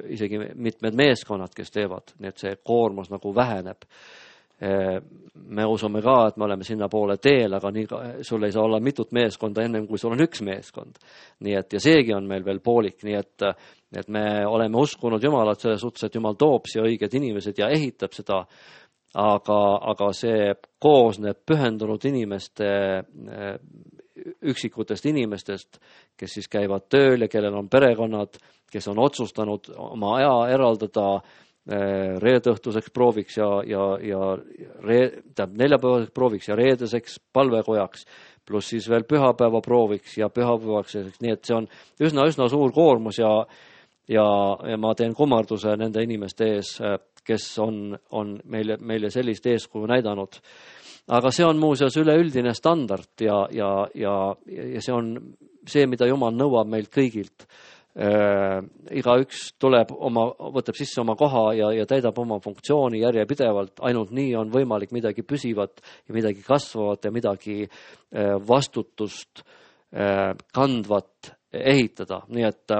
isegi mitmed meeskonnad, kes teevad, nii et see koormus nagu väheneb. Me usume ka, et me oleme sinna poole teel, aga sul ei saa olla mitut meeskonda ennem, kui sul on üks meeskond. Nii et, ja seegi on meil veel poolik, nii et me oleme uskunud Jumalat selles suhtes, et Jumal toob siia õiged inimesed ja ehitab seda, aga see koosneb pühendunud inimeste, üksikutest inimestest, kes siis käivad tööl ja kellel on perekonnad, kes on otsustanud oma aja eraldada reedõhtuseks prooviks ja neljapäevaseks prooviks ja reedeseks palvekojaks, pluss siis veel pühapäeva prooviks ja pühapäevaks, nii et see on üsna suur koormus ja ma teen kummarduse nende inimeste ees, kes on meile sellist eeskuju näidanud. Aga see on muuseas üleüldine standard ja see on see, mida Jumal nõuab meilt kõigilt. Igaüks võtab sisse oma koha ja täidab oma funktsiooni järjepidevalt, ainult nii on võimalik midagi püsivat ja midagi kasvavat ja midagi vastutust kandvat ehitada. Nii et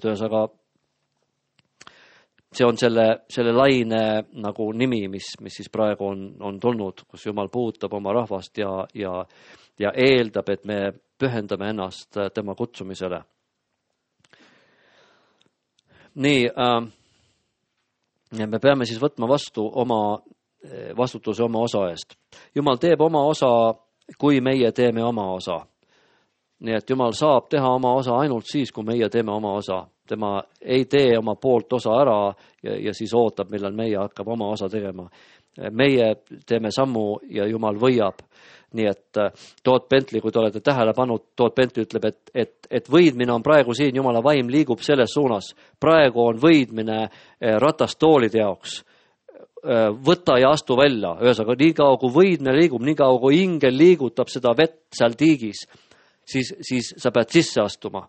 ühesõnaga see on selle laine nagu nimi, mis siis praegu on tulnud, kus Jumal puudutab oma rahvast ja eeldab, et me pühendame ennast tema kutsumisele. Nii, me peame siis võtma vastu vastutuse oma osa eest. Jumal teeb oma osa, kui meie teeme oma osa. Nii et Jumal saab teha oma osa ainult siis, kui meie teeme oma osa. Tema ei tee oma poolt osa ära ja siis ootab, millal meie hakkab oma osa tegema. Meie teeme sammu ja Jumal võiab. Nii et Todd Bentley, kui te olete tähele pannud, Todd Bentley ütleb, et võidmine on praegu siin, Jumala vaim liigub selles suunas. Praegu on võidmine ratastoolide jaoks. Võta ja astu välja. Ühesõnaga, nii kaua kui võidmine liigub, nii kaua kui ingel liigutab seda vett seal tiigis, siis sa pead sisse astuma.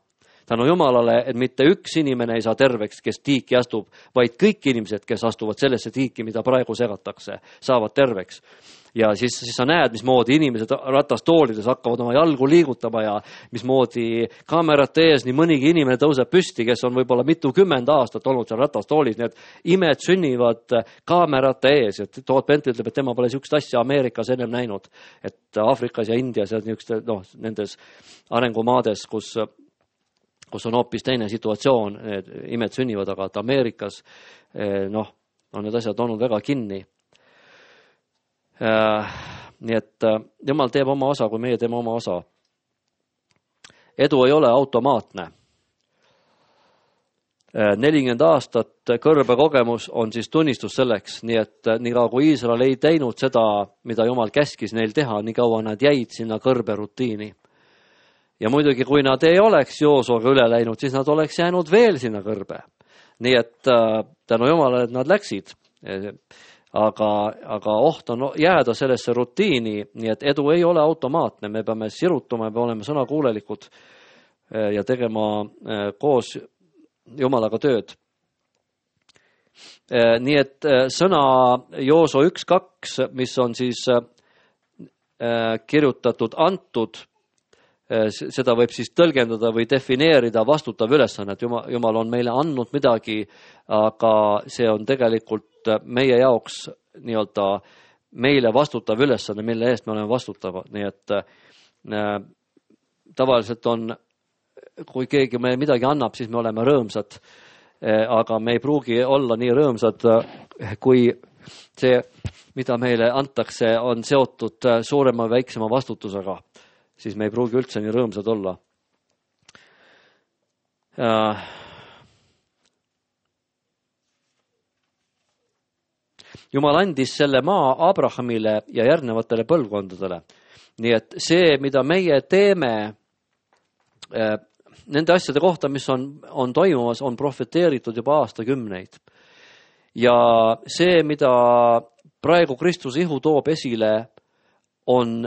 Tänu Jumalale, et mitte üks inimene ei saa terveks, kes tiiki astub, vaid kõik inimesed, kes astuvad sellesse tiiki, mida praegu segatakse, saavad terveks. Ja siis sa näed, mismoodi inimesed ratastoolides hakkavad oma jalgu liigutama ja mismoodi kaamerate ees nii mõnigi inimene tõuseb püsti, kes on võib-olla mitukümmend aastat olnud seal ratastoolis. Need imed sünnivad kaamerate ees. Et Todd Bentley ütleb, et tema pole niisugust asja Ameerikas ennem näinud. Et Aafrikas ja Indias ja nendes arengumaades, kus on hoopis teine situatsioon, need imed sünnivad, aga et Ameerikas on need asjad olnud väga kinni. Nii et Jumal teeb oma osa, kui meie teeme oma osa. Edu ei ole automaatne. 40 aastat kõrbekogemus on siis tunnistus selleks, nii et nii kaua kui Iisrael ei teinud seda, mida Jumal käskis neil teha, nii kaua nad jäid sinna kõrberutiini. Ja muidugi, kui nad ei oleks Joosuaga üle läinud, siis nad oleks jäänud veel sinna kõrbe. Nii et tänu Jumalale, et nad läksid. Aga oht on jääda sellesse rutiini, nii et edu ei ole automaatne. Me peame sirutuma, me peame olema sõnakuulelikud ja tegema koos Jumalaga tööd. Nii et sõna Jooso 1.2, mis on siis kirjutatud antud, seda võib siis tõlgendada või defineerida vastutav ülesanne, et Jumal on meile andnud midagi, aga see on tegelikult meie jaoks nii-öelda meile vastutav ülesanne, mille eest me oleme vastutavad. Nii et tavaliselt on, kui keegi meile midagi annab, siis me oleme rõõmsad, aga me ei pruugi olla nii rõõmsad, kui see, mida meile antakse, on seotud suurema või väiksema vastutusega. Siis me ei pruugi üldse nii rõõmsad olla. Jumal andis selle maa Abrahamile ja järgnevatele põlvkondadele. Nii et see, mida meie teeme nende asjade kohta, mis on toimumas, on profeteeritud juba aastakümneid. Ja see, mida praegu Kristuse ihu toob esile, on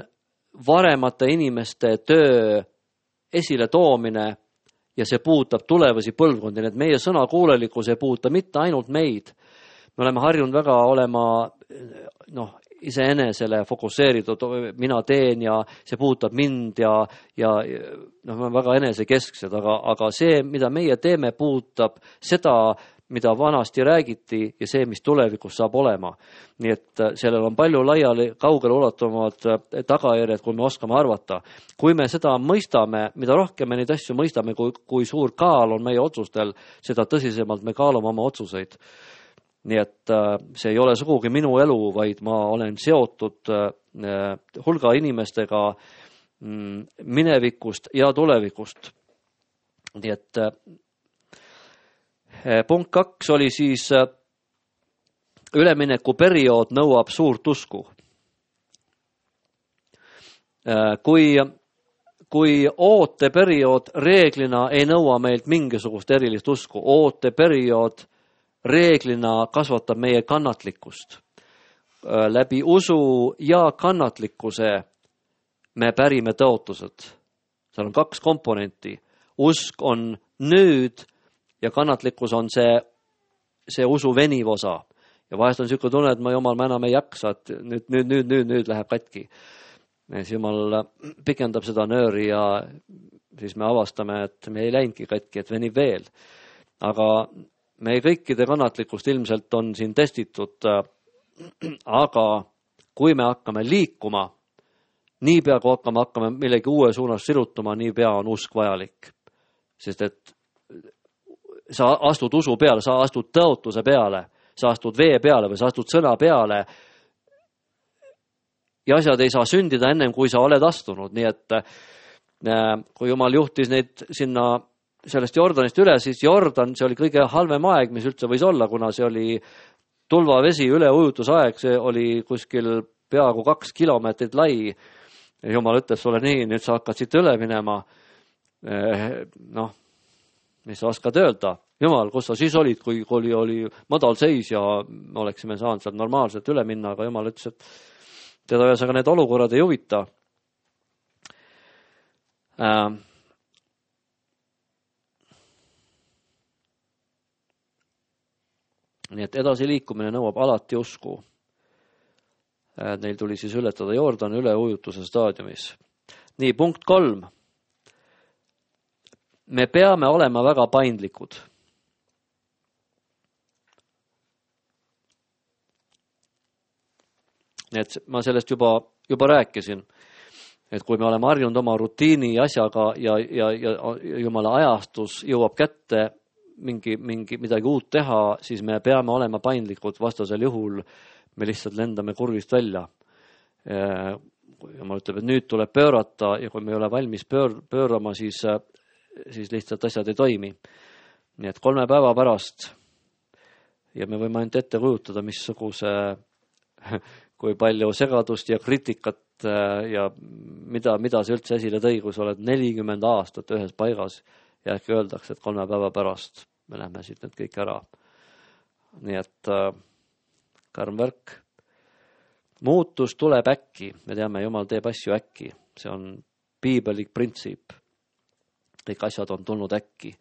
varemate inimeste töö esile toomine ja see puudutab tulevasi põlvkondi. Need meie sõnakuulelikkus ei puuduta mitte ainult meid. Me oleme harjunud väga olema iseenesele fokusseeritud, mina teen ja see puudutab mind ja me oleme väga enesekesksed, aga see, mida meie teeme, puudutab seda, mida vanasti räägiti ja see, mis tulevikus saab olema. Nii et sellel on palju laiali, kaugele ulatuvamad tagajärjed, kui me oskame arvata. Kui me seda mõistame, mida rohkem me neid asju mõistame, kui suur kaal on meie otsustel, seda tõsisemalt me kaalume oma otsuseid. Nii et see ei ole sugugi minu elu, vaid ma olen seotud hulga inimestega minevikust ja tulevikust. Nii et punkt 2 oli siis üleminekuperiood nõuab suurt usku. Kui ooteperiood reeglina ei nõua meilt mingisugust erilist usku, ooteperiood reeglina kasvatab meie kannatlikkust. Läbi usu ja kannatlikkuse me pärime tõotused. Seal on 2 komponenti. Usk on nüüd ja kannatlikkus on see usu veniv osa. Ja vahest on selline tunne, et ma enam ei jaksa, et nüüd läheb katki. Siis Jumal pikendab seda nööri ja siis me avastame, et me ei läinudki katki, et venib veel. Aga meie kõikide kannatlikkust ilmselt on siin testitud, aga kui me hakkame liikuma, niipea kui hakkame millegi uue suunas sirutuma, niipea on usk vajalik. Sest et sa astud usu peale, sa astud tõotuse peale, sa astud vee peale või sa astud sõna peale ja asjad ei saa sündida ennem, kui sa oled astunud. Nii et kui Jumal juhtis neid sinna sellest Jordanist üle, siis Jordan, see oli kõige halvem aeg, mis üldse võis olla, kuna see oli tulvavesi üleujutusaeg, see oli kuskil peaaegu 2 kilomeetrit lai. Jumal ütles sulle nii, nüüd sa hakkad siit üle minema. Mis sa oskad öelda? Jumal, kus sa siis olid, kui oli madal seis ja me oleksime saanud sealt normaalselt üle minna, aga Jumal ütles, et teda ühesõnaga need olukorrad ei huvita. Nii et edasiliikumine nõuab alati usku. Neil tuli siis ületada Jordan üleujutuse staadiumis. Nii, punkt 3. Me peame olema väga paindlikud. Nii et ma sellest juba rääkisin, et kui me oleme harjunud oma rutiini asjaga ja Jumala ajastus jõuab kätte midagi uut teha, siis me peame olema paindlikud, vastasel juhul me lihtsalt lendame kurvist välja. Jumal ütleb, et nüüd tuleb pöörata ja kui me ei ole valmis pöörama, siis lihtsalt asjad ei toimi. Nii et 3 päeva pärast ja me võime ainult ette kujutada, kui palju segadust ja kritikat ja mida see üldse esile tõi, kui sa oled 40 aastat ühes paigas ja äkki öeldakse, et 3 päeva pärast me lähme siit need kõik ära. Nii et karm värk. Muutus tuleb äkki. Me teame, Jumal teeb asju äkki. See on piibelik printsiip. Kõik asjad on tulnud äkki.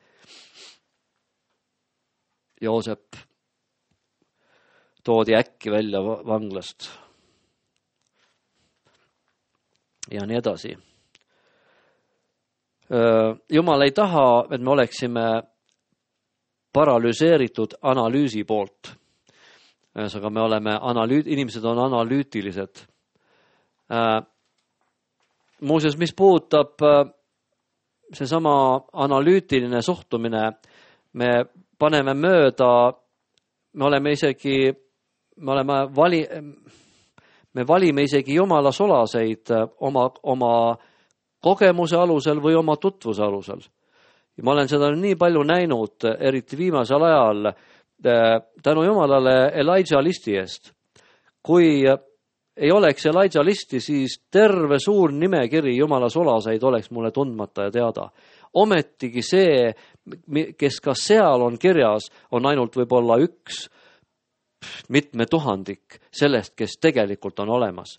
Joosep toodi äkki välja vanglast. Ja nii edasi. Jumal ei taha, et me oleksime paralüseeritud analüüsi poolt. Aga me oleme inimesed on analüütilised. Muuseas, mis puudutab seesama analüütiline suhtumine, me paneme mööda, me valime isegi Jumala solaseid oma kogemuse alusel või oma tutvuse alusel. Ja ma olen seda nii palju näinud, eriti viimasel ajal, tänu Jumalale Elijah listi eest. kui ei oleks Elijah listi, siis terve suur nimekiri Jumala sulaseid oleks mulle tundmata ja teada. Ometigi see, kes ka seal on kirjas, on ainult võib-olla üks mitme tuhandik sellest, kes tegelikult on olemas.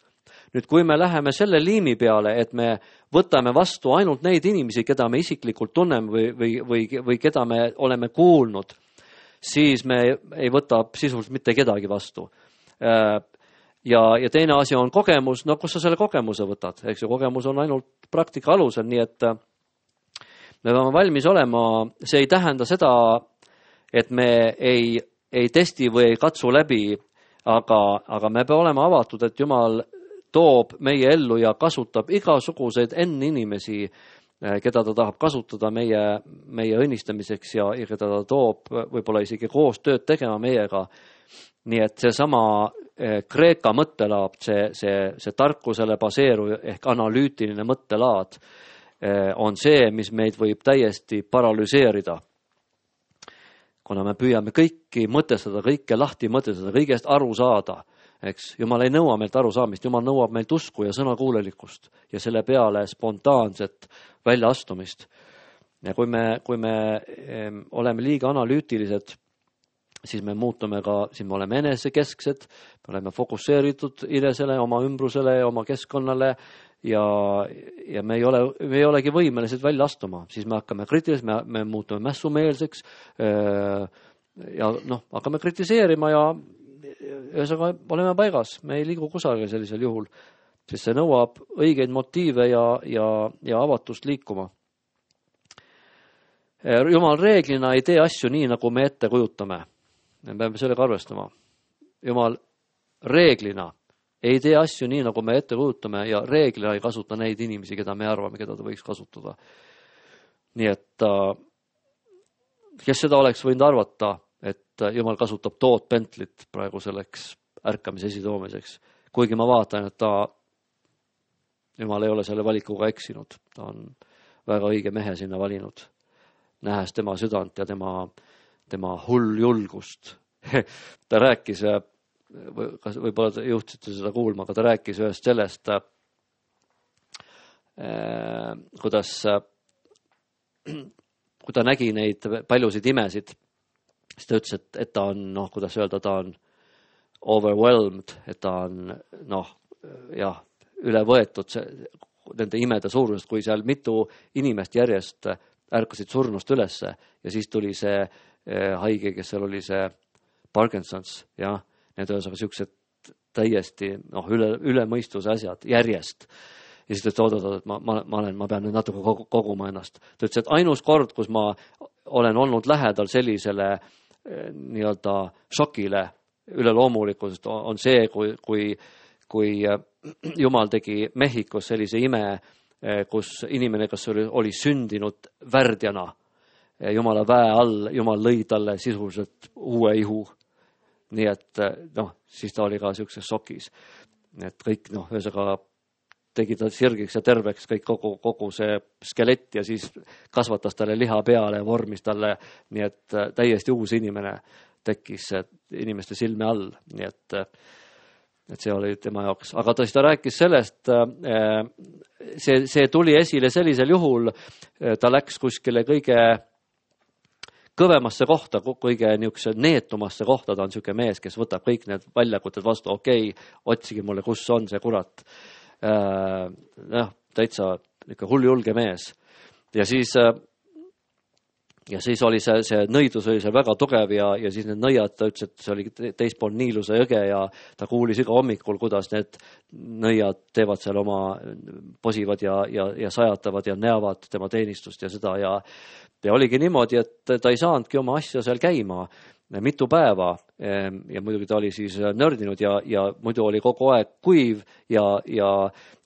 Nüüd, kui me läheme selle liimi peale, et me võtame vastu ainult neid inimesi, keda me isiklikult tunneme või keda me oleme kuulnud, siis me ei võta sisuliselt mitte kedagi vastu. Ja teine asi on kogemus. No kus sa selle kogemuse võtad? Eks ju, kogemus on ainult praktika alusel, nii et me peame valmis olema. See ei tähenda seda, et me ei testi või ei katsu läbi, aga me peame olema avatud, et Jumal toob meie ellu ja kasutab igasuguseid inimesi, keda ta tahab kasutada meie õnnistamiseks ja keda ta toob võib-olla isegi koos tööd tegema meiega. Nii et seesama Kreeka mõttelaad, see tarkusele baseeruv ehk analüütiline mõttelaad on see, mis meid võib täiesti paralüseerida. Kuna me püüame kõiki mõtestada, kõike lahti mõtestada, kõigest aru saada, eks, Jumal ei nõua meilt arusaamist, Jumal nõuab meilt usku ja sõnakuulelikkust ja selle peale spontaanset väljaastumist. Ja kui me oleme liiga analüütilised, siis me muutume siis me oleme enesekesksed, me oleme fokusseeritud inesele, oma ümbrusele ja oma keskkonnale ja me ei olegi võimelised välja astuma. Siis me hakkame kriitilised, me muutume mässumeelseks ja hakkame kritiseerima ja ühesõnaga oleme paigas, me ei liigu kusagil sellisel juhul, sest see nõuab õigeid motiive ja avatust liikuma. Jumal reeglina ei tee asju nii, nagu me ette kujutame. Me peame sellega arvestama. Jumal reeglina ei tee asju nii, nagu me ette kujutame ja reeglina ei kasuta neid inimesi, keda me arvame, keda ta võiks kasutada. Nii et kes seda oleks võinud arvata, et Jumal kasutab Todd Bentleyt praegu selleks ärkamise esitoomiseks. Kuigi ma vaatan, et Jumal ei ole selle valikuga eksinud. Ta on väga õige mehe sinna valinud, nähes tema südant ja tema hull julgust. Ta rääkis, võib-olla te juhtisite seda kuulma, aga ta rääkis ühest sellest, kuidas kui ta nägi neid paljusid imesid, siis ta ütles, et ta on, kuidas öelda, ta on overwhelmed, et ta on, üle võetud nende imede suurusest, kui seal mitu inimest järjest ärkasid surnust ülesse ja siis tuli see haige, kes seal oli see Parkinsons, ja need ühesõnaga siuksed täiesti üle mõistuse asjad järjest. Ja siis ta ütles, et ma pean nüüd natuke koguma ennast. Ta ütles, et ainus kord, kus ma olen olnud lähedal sellisele nii-öelda šokile üleloomulikult, on see, kui Jumal tegi Mehhikos sellise ime, kus inimene, kes oli sündinud värdjana Jumala väe all, Jumal lõi talle sisuliselt uue ihu. Nii et siis ta oli ka siukses šokis. Et kõik ühesõnaga tegi ta sirgiks ja terveks kogu see skelett ja siis kasvatas talle liha peale ja vormis talle, nii et täiesti uus inimene tekkis inimeste silme all, nii et see oli tema jaoks. Aga ta rääkis sellest, see tuli esile sellisel juhul, ta läks kuskile kõige kõvemasse kohta, kõige niisuguse neetumasse kohta, ta on niisugune mees, kes võtab kõik need väljakuted vastu, otsige mulle, kus on see kurat. Täitsa hulljulge mees. Ja siis oli see nõidus oli see väga tugev ja siis need nõiad, ta ütles, et see oli teispool Niiluse jõge ja ta kuulis iga hommikul, kuidas need nõiad teevad seal oma posivad ja sajatavad ja näevad tema teenistust ja seda ja oligi niimoodi, et ta ei saanudki oma asja seal käima mitu päeva ja muidugi ta oli siis nördinud ja muidu oli kogu aeg kuiv ja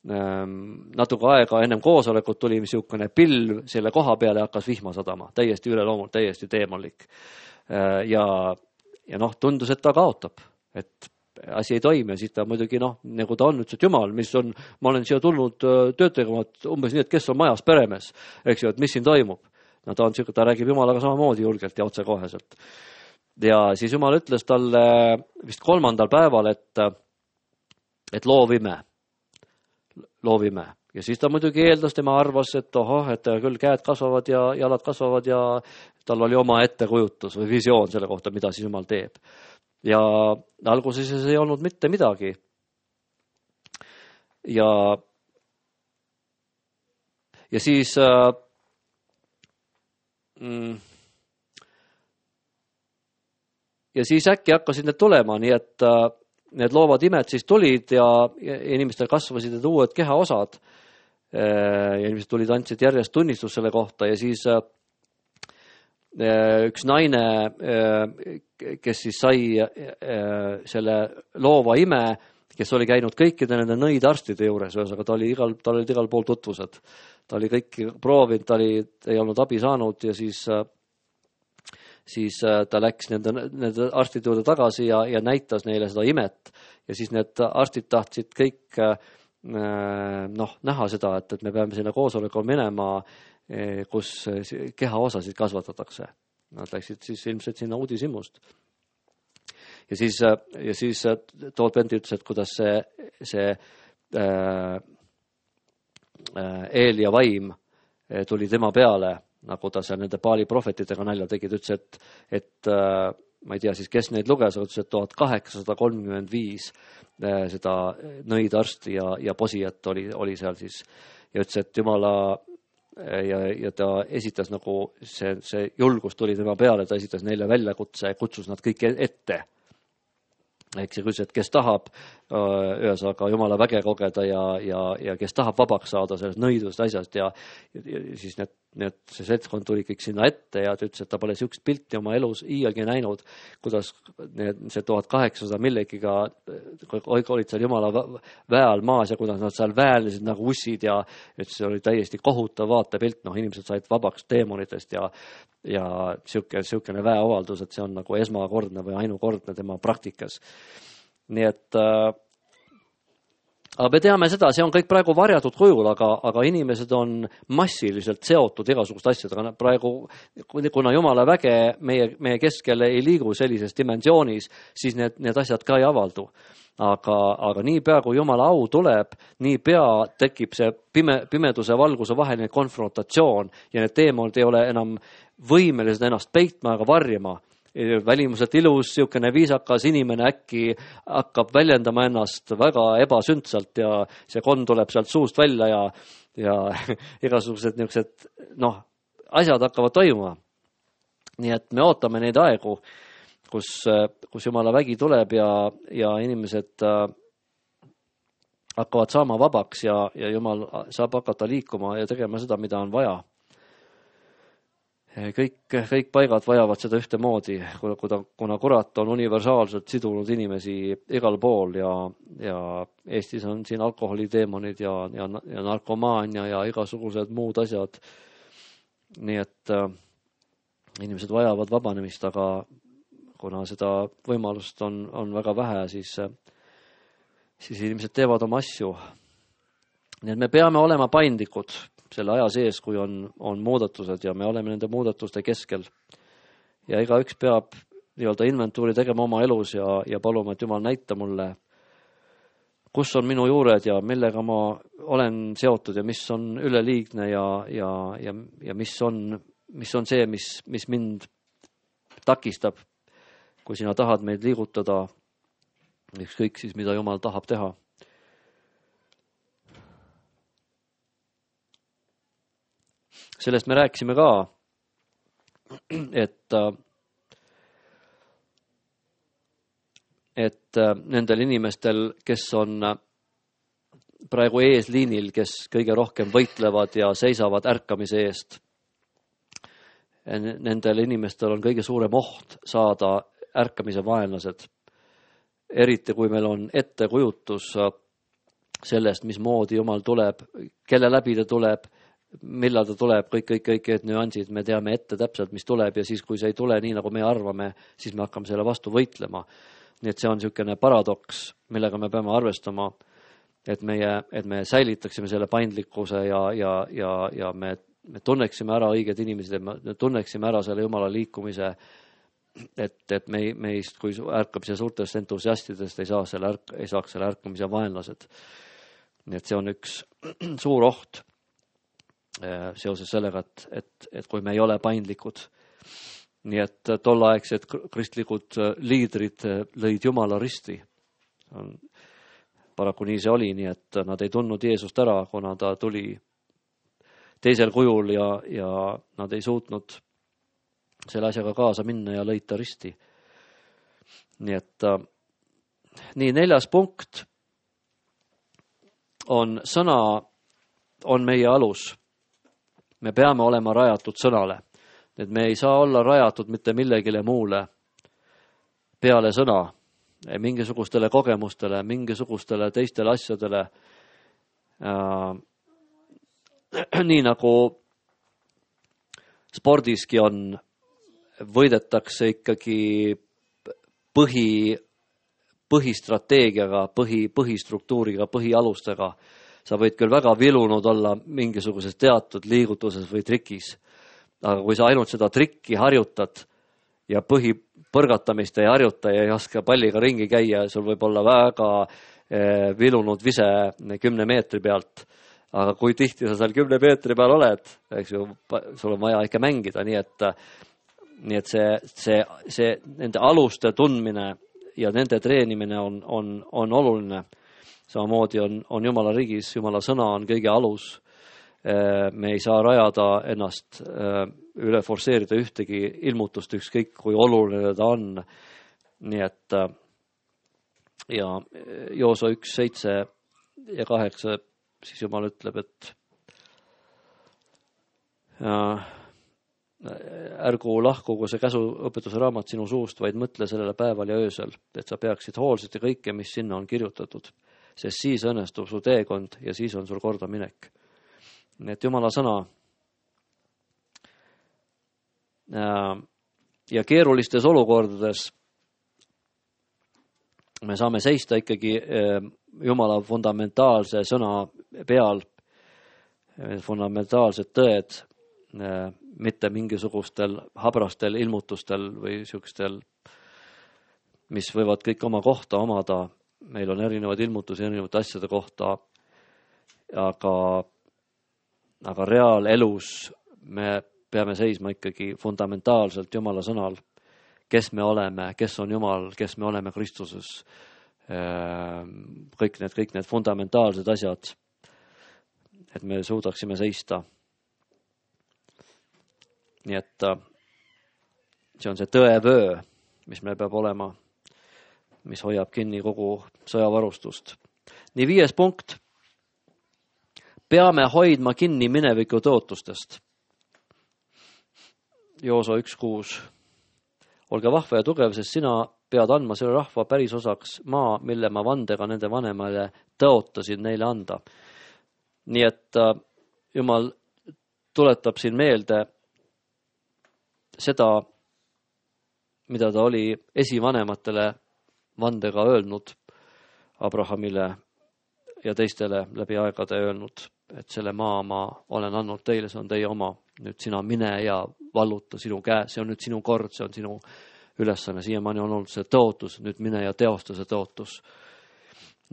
natuke aega ennem koosolekut tuli niisugune pilv selle koha peale ja hakkas vihma sadama. Täiesti üleloomult, täiesti teemonlik. Ja tundus, et ta kaotab, et asi ei toimi ja siis ta muidugi nagu ta on, ütles, et Jumal, ma olen siia tulnud tööd tegema, umbes nii, et kes on majas peremees, eks ju, et mis siin toimub. Ta räägib Jumalaga samamoodi julgelt ja otsekoheselt. Ja siis Jumal ütles talle vist 3. päeval, et et loovime. Ja siis ta muidugi eeldas, tema arvas, et et küll käed kasvavad ja jalad kasvavad ja tal oli oma ettekujutus või visioon selle kohta, mida siis Jumal teeb. Ja alguses ei olnud mitte midagi. Ja siis ja siis äkki hakkasid need tulema, nii et need loovad imed siis tulid ja inimestel kasvasid need uued kehaosad ja inimesed tulid, andsid järjest tunnistust selle kohta ja siis üks naine, kes siis sai selle loova ime, kes oli käinud kõikide nende nõidarstide juures, ühesõnaga tal olid igal pool tutvused. Ta oli kõiki proovinud, ei olnud abi saanud ja siis ta läks nende arstide juurde tagasi ja näitas neile seda imet. Ja siis need arstid tahtsid kõik näha seda, et me peame sinna koosolekule minema, kus kehaosasid kasvatatakse. Nad läksid siis ilmselt sinna uudishimust. Ja siis Todd Bentley ütles, et kuidas see Eeli ja vaim tuli tema peale, nagu ta seal nende Baali prohvetidega nalja tegi. Ta ütles, et ma ei tea siis, kes neid luges, aga ütles, et 1835 seda nõidarsti ja posijat oli seal siis. Ja ütles, et Jumala ja ta esitas nagu see julgus tuli tema peale, ta esitas neile väljakutse, kutsus nad kõik ette. Eks see küsis, et kes tahab ühesõnaga Jumala väge kogeda ja kes tahab vabaks saada sellest nõidust asjast ja siis see seltskond tuli kõik sinna ette ja ta ütles, et ta pole sihukest pilti oma elus iialgi näinud, kuidas see 1800 millegiga olid seal Jumala väe all maas ja kuidas nad seal väelesid nagu ussid ja et see oli täiesti kohutav vaatepilt, inimesed said vabaks teemonitest ja sihukene väeavaldus, et see on nagu esmakordne või ainukordne tema praktikas. Nii et aga me teame seda, see on kõik praegu varjatud kujul, aga inimesed on massiliselt seotud igasugust asjadega. Praegu, kuna Jumala väge meie keskel ei liigu sellises dimensioonis, siis need asjad ka ei avaldu. Aga nii pea, kui Jumala au tuleb, nii pea tekib see pimeduse valguse vaheline konfrontatsioon ja need teemad ei ole enam võimelised ennast peitma ega varjama. Välimuselt ilus, siukene viisakas inimene äkki hakkab väljendama ennast väga ebasündsalt ja see konn tuleb sealt suust välja ja igasugused niisugused asjad hakkavad toimuma. Nii et me ootame neid aegu, kus Jumala vägi tuleb ja inimesed hakkavad saama vabaks ja Jumal saab hakata liikuma ja tegema seda, mida on vaja. Kõik paigad vajavad seda ühtemoodi, kuna kurat on universaalselt sidunud inimesi igal pool ja Eestis on siin alkoholiteemonid ja narkomaania ja igasugused muud asjad. Nii et inimesed vajavad vabanemist, aga kuna seda võimalust on väga vähe, siis inimesed teevad oma asju. Nii et me peame olema paindlikud selle aja sees, kui on muudatused ja me oleme nende muudatuste keskel. Ja igaüks peab nii-öelda inventuuri tegema oma elus ja paluma, et Jumal näita mulle, kus on minu juured ja millega ma olen seotud ja mis on üleliigne ja mis on see, mis mind takistab, kui sina tahad meid liigutada, ükskõik siis, mida Jumal tahab teha. Sellest me rääkisime ka, et nendel inimestel, kes on praegu eesliinil, kes kõige rohkem võitlevad ja seisavad ärkamise eest, nendel inimestel on kõige suurem oht saada ärkamise vaenlased. Eriti kui meil on ettekujutus sellest, mismoodi Jumal tuleb, kelle läbi ta tuleb, millal ta tuleb, kõik need nüansid, me teame ette täpselt, mis tuleb ja siis, kui see ei tule nii, nagu me arvame, siis me hakkame selle vastu võitlema. Nii et see on niisugune paradoks, millega me peame arvestama, et me säilitaksime selle paindlikkuse ja me tunneksime ära õiged inimesed, me tunneksime ära selle Jumala liikumise et meist kui ärkamise suurtest entusiastidest ei saaks selle ärkamise vaenlased. Nii et see on üks suur oht seoses sellega, et kui me ei ole paindlikud. Nii et tolleaegsed kristlikud liidrid lõid Jumala risti. Paraku nii see oli, nii et nad ei tundnud Jeesust ära, kuna ta tuli teisel kujul ja nad ei suutnud selle asjaga kaasa minna ja lõid ta risti. Nii et nii 4. punkt on sõna on meie alus. Me peame olema rajatud sõnale. Et me ei saa olla rajatud mitte millegile muule peale sõna, mingisugustele kogemustele, mingisugustele teistele asjadele. Nii nagu spordiski on, võidetakse ikkagi põhistrateegiaga, põhistruktuuriga, põhialustega. Sa võid küll väga vilunud olla mingisuguses teatud liigutuses või trikis, aga kui sa ainult seda trikki harjutad ja põhipõrgatamist ei harjuta ja ei oska palliga ringi käia, sul võib olla väga vilunud vise 10 meetri pealt. Aga kui tihti sa seal 10 meetri peal oled, eks ju, sul on vaja ikka mängida, nii et see nende aluste tundmine ja nende treenimine on oluline. Samamoodi on Jumala riigis, Jumala sõna on kõige alus. Me ei saa rajada ennast üle forsseerida ühtegi ilmutust, ükskõik kui oluline ta on. Nii et ja Jooso 1, 7 ja 8 siis Jumal ütleb, et ärgu lahkugu see käsuõpetuse raamat sinu suust, vaid mõtle sellele päeval ja öösel, et sa peaksid hoolsalt ja kõike, mis sinna on kirjutatud, sest siis õnnestub su teekond ja siis on sul korda minek. Nii et Jumala sõna ja keerulistes olukordades me saame seista ikkagi Jumala fundamentaalse sõna peal, fundamentaalsed tõed, mitte mingisugustel habrastel ilmutustel või siukstel, mis võivad kõik oma kohta omada. Meil on erinevad ilmutusi erinevate asjade kohta, aga reaalelus me peame seisma ikkagi fundamentaalselt Jumala sõnal, kes me oleme, kes on Jumal, kes me oleme Kristuses, kõik need fundamentaalsed asjad, et me suudaksime seista. Nii et see on see tõevöö, mis meil peab olema, mis hoiab kinni kogu sõjavarustust. Nii 5. punkt. Peame hoidma kinni mineviku tõotustest. Jooso 1.6. Olge vahva ja tugev, sest sina pead andma selle rahva päris osaks maa, mille ma vandega nende vanemale tõotasin neile anda. Nii et Jumal tuletab siin meelde seda, mida ta oli esivanematele vandega öelnud, Abrahamile ja teistele läbi aegade öelnud, et selle maa ma olen andnud teile, see on teie oma. Nüüd sina mine ja valluta sinu käe, see on nüüd sinu kord, see on sinu ülesanne. Siiamaani on olnud see tõotus, nüüd mine ja teosta see tõotus.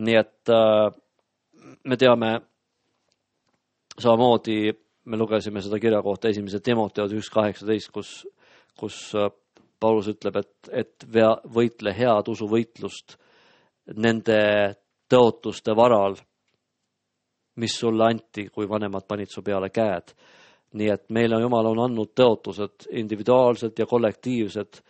Nii et me teame samamoodi, me lugesime seda kirja kohta 1. Timoteos 1.18, kus Paulus ütleb, et võitle head usuvõitlust nende tõotuste varal, mis sulle anti, kui vanemad panid su peale käed. Nii et meile Jumal on andnud tõotused individuaalsed ja kollektiivsed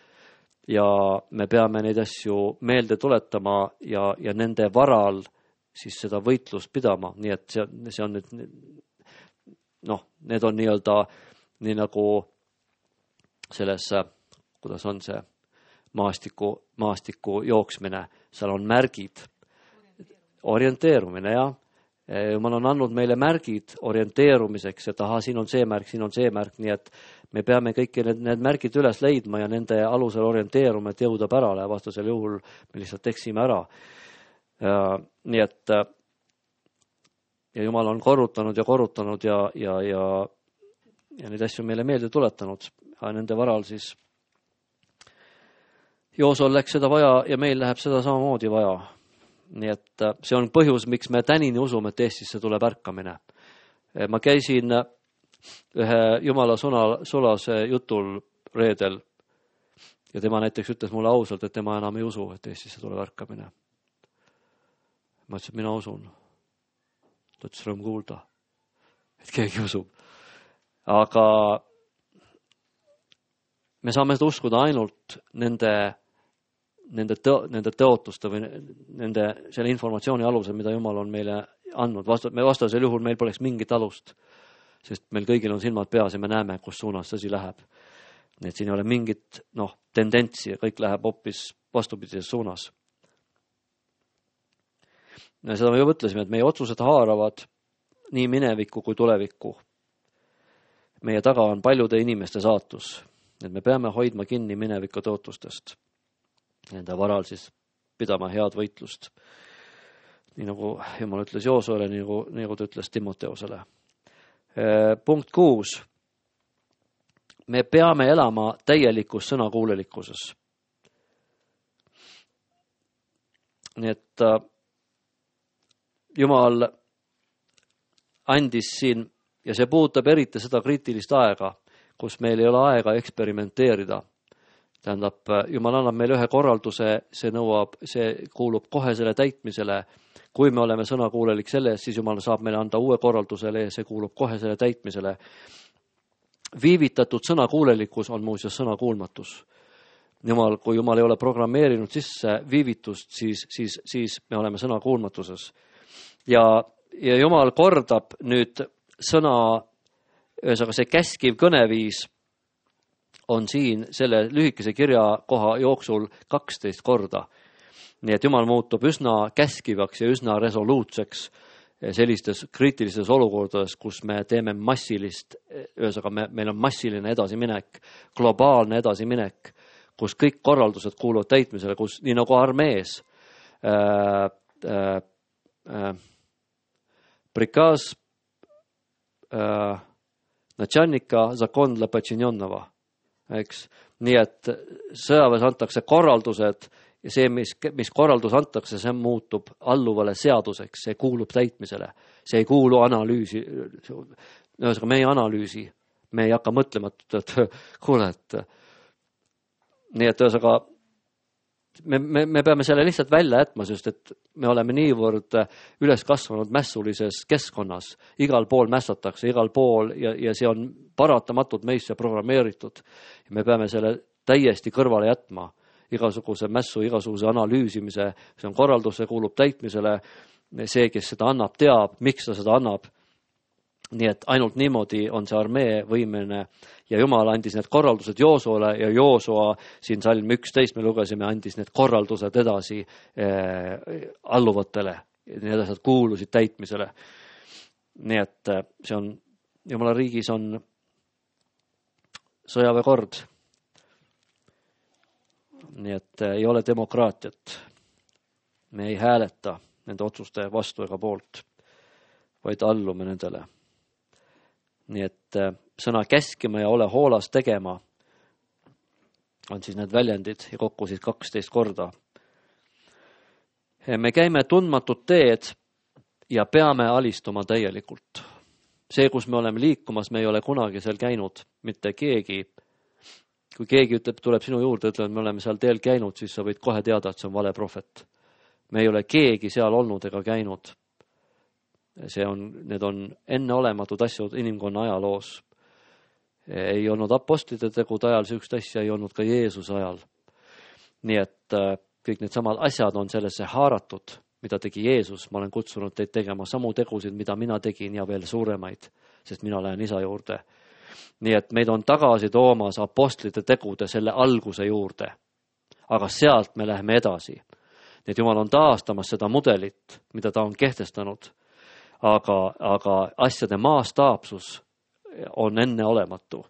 ja me peame neid asju meelde tuletama ja nende varal siis seda võitlust pidama. Nii et see on nüüd, need on nii nagu selles, kuidas on see maastiku jooksmine, seal on märgid, orienteerumine, jah. Jumal on andnud meile märgid orienteerumiseks, et siin on see märk, nii et me peame kõik need märgid üles leidma ja nende alusel orienteeruma, et jõuda pärale, vastasel juhul me lihtsalt eksime ära. Nii et ja Jumal on korrutanud ja neid asju meile meelde tuletanud, aga nende varal siis Joosol läks seda vaja ja meil läheb seda samamoodi vaja. Nii et see on põhjus, miks me tänini usume, et Eestisse tuleb ärkamine. Ma käisin ühe Jumala sulase jutul reedel ja tema näiteks ütles mulle ausalt, et tema enam ei usu, et Eestisse tuleb ärkamine. Ma ütlesin, et mina usun. Ta ütles, rõõm kuulda, et keegi usub. Aga me saame seda uskuda ainult nende tõotuste või selle informatsiooni alusel, mida Jumal on meile andnud. Vastasel juhul meil poleks mingit alust, sest meil kõigil on silmad peas ja me näeme, kus suunas asi läheb. Nii et siin ei ole mingit tendentsi ja kõik läheb hoopis vastupidises suunas. Seda me juba mõtlesime, et meie otsused haaravad nii minevikku kui tulevikku. Meie taga on paljude inimeste saatus, et me peame hoidma kinni mineviku tõotustest. Nende varal siis pidama head võitlust. Nii nagu Jumal ütles Joosuele, nii nagu ta ütles Timoteosele. Punkt 6. Me peame elama täielikus sõnakuulelikkuses. Nii et Jumal andis siin, ja see puudutab eriti seda kriitilist aega, kus meil ei ole aega eksperimenteerida. Tähendab, Jumal annab meile ühe korralduse, see kuulub kohe selle täitmisele. Kui me oleme sõnakuulelik selles, siis Jumal saab meile anda uue korraldusele ja see kuulub kohe selle täitmisele. Viivitatud sõnakuulelikkus on muuseas sõnakuulmatus. Kui Jumal ei ole programmeerinud sisse viivitust, siis me oleme sõnakuulmatuses. Ja Jumal kordab nüüd sõna, ühesõnaga see käskiv kõneviis on siin selle lühikese kirjakoha jooksul 12 korda. Nii et Jumal muutub üsna käskivaks ja üsna resoluutseks sellistes kriitilistes olukordades, kus me teeme massilist, ühesõnaga meil on massiline edasiminek, globaalne edasiminek, kus kõik korraldused kuuluvad täitmisele, kus nii nagu armees prikaz начальника закон для подчиненного. Eks? Nii et sõjaväes antakse korraldused ja see, mis korraldus antakse, see muutub alluvale seaduseks, see kuulub täitmisele. See ei kuulu analüüsi. Ühesõnaga, me ei analüüsi, me ei hakka mõtlema, et kuule, et nii et ühesõnaga me peame selle lihtsalt välja jätma, sest et me oleme niivõrd üles kasvanud mässulises keskkonnas. Igal pool mässatakse, igal pool ja see on paratamatult meisse programmeeritud. Me peame selle täiesti kõrvale jätma. Igasuguse mässu, igasuguse analüüsimise, see on korraldus, see kuulub täitmisele. See, kes seda annab, teab, miks ta seda annab. Nii et ainult niimoodi on see armee võimeline ja Jumal andis need korraldused Joosuale ja Joosua siin salm 11 me lugesime, andis need korraldused edasi alluvatele. Need asjad kuulusid täitmisele. Nii et see on, Jumala riigis on sõjaväekord. Nii et ei ole demokraatiat. Me ei hääleta nende otsuste vastu ega poolt, vaid allume nendele. Nii et sõna käskima ja ole hoolas tegema on siis need väljendid ja kokku siis 12 korda. Me käime tundmatut teed ja peame alistuma täielikult. See, kus me oleme liikumas, me ei ole kunagi seal käinud, mitte keegi. Kui keegi ütleb, tuleb sinu juurde, ütleb, et me oleme seal teel käinud, siis sa võid kohe teada, et see on vale prohvet. Me ei ole keegi seal olnud ega käinud. Need on enneolematud asjad inimkonna ajaloos. Ei olnud apostlite tegude ajal, sihukest asja ei olnud ka Jeesuse ajal. Nii et kõik need samad asjad on sellesse haaratud, mida tegi Jeesus. Ma olen kutsunud teid tegema samu tegusid, mida mina tegin ja veel suuremaid, sest mina lähen isa juurde. Nii et meid on tagasi toomas apostlite tegude selle alguse juurde. Aga sealt me läheme edasi. Nii et Jumal on taastamas seda mudelit, mida ta on kehtestanud. Aga asjade maastaapsus on enneolematu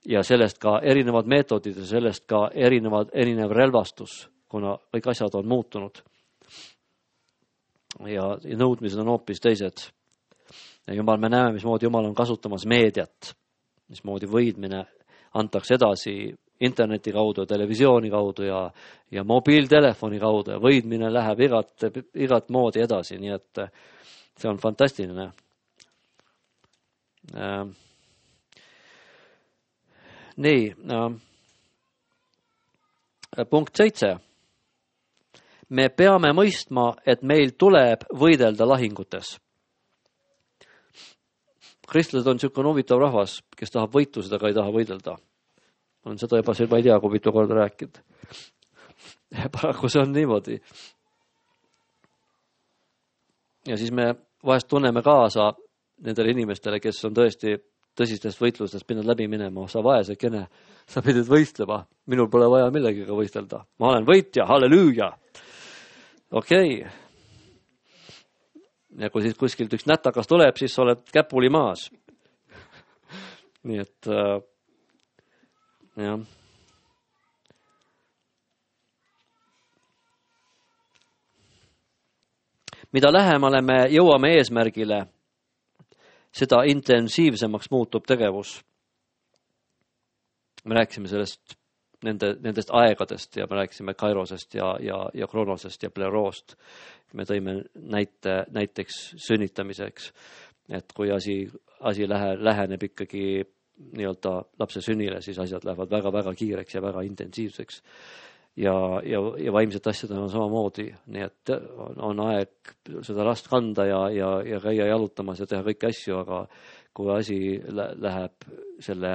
ja sellest ka erinevad meetodid ja sellest ka erinev relvastus, kuna kõik asjad on muutunud ja nõudmised on hoopis teised. Ja Jumal, me näeme, mismoodi Jumal on kasutamas meediat, mismoodi võidmine antakse edasi interneti kaudu, televisiooni kaudu ja mobiiltelefoni kaudu ja võidmine läheb igat moodi edasi, nii et see on fantastiline. Nii, punkt 7. Me peame mõistma, et meil tuleb võidelda lahingutes. Kristlased on niisugune huvitav rahvas, kes tahab võitlused, aga ei taha võidelda. On seda juba ma ei tea, kui mitu korda rääkinud. Paraku see on niimoodi. Ja siis me vahest tunneme kaasa nendele inimestele, kes on tõesti tõsistest võitlustest pidanud läbi minema. Sa vaesekene, sa pidid võistlema. Minul pole vaja millegiga võistelda. Ma olen võitja, halleluuja. Okei. Ja kui siis kuskilt üks nätakas tuleb, siis sa oled käpuli maas. Nii et jah. Mida lähemale me jõuame eesmärgile, seda intensiivsemaks muutub tegevus. Me rääkisime sellest nendest aegadest ja me rääkisime kairosest ja kronosest ja pleroost. Me tõime näiteks sünnitamiseks, et kui asi läheneb ikkagi nii-öelda lapse sünnile, siis asjad lähevad väga-väga kiireks ja väga intensiivseks. Ja vaimsed asjad on samamoodi, nii et on aeg seda last kanda ja käia jalutamas ja teha kõiki asju, aga kui asi läheb selle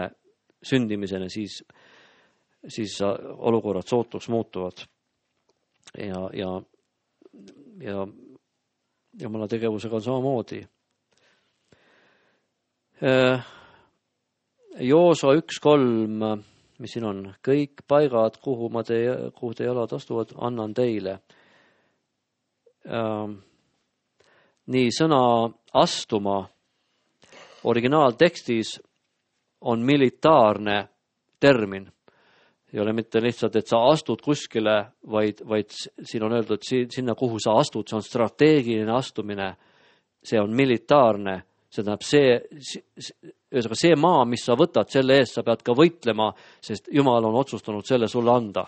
sündimiseni, siis olukorrad sootuks muutuvad. Ja Jumala tegevusega on samamoodi. Jooso 1.3, mis siin on, kõik paigad, kuhu te jalad astuvad, annan teile. Nii, sõna astuma originaaltekstis on militaarne termin. Ei ole mitte lihtsalt, et sa astud kuskile, vaid siin on öeldud, sinna kuhu sa astud, see on strateegiline astumine, see on militaarne, see tähendab see maa, mis sa võtad, selle eest sa pead ka võitlema, sest Jumal on otsustanud selle sulle anda.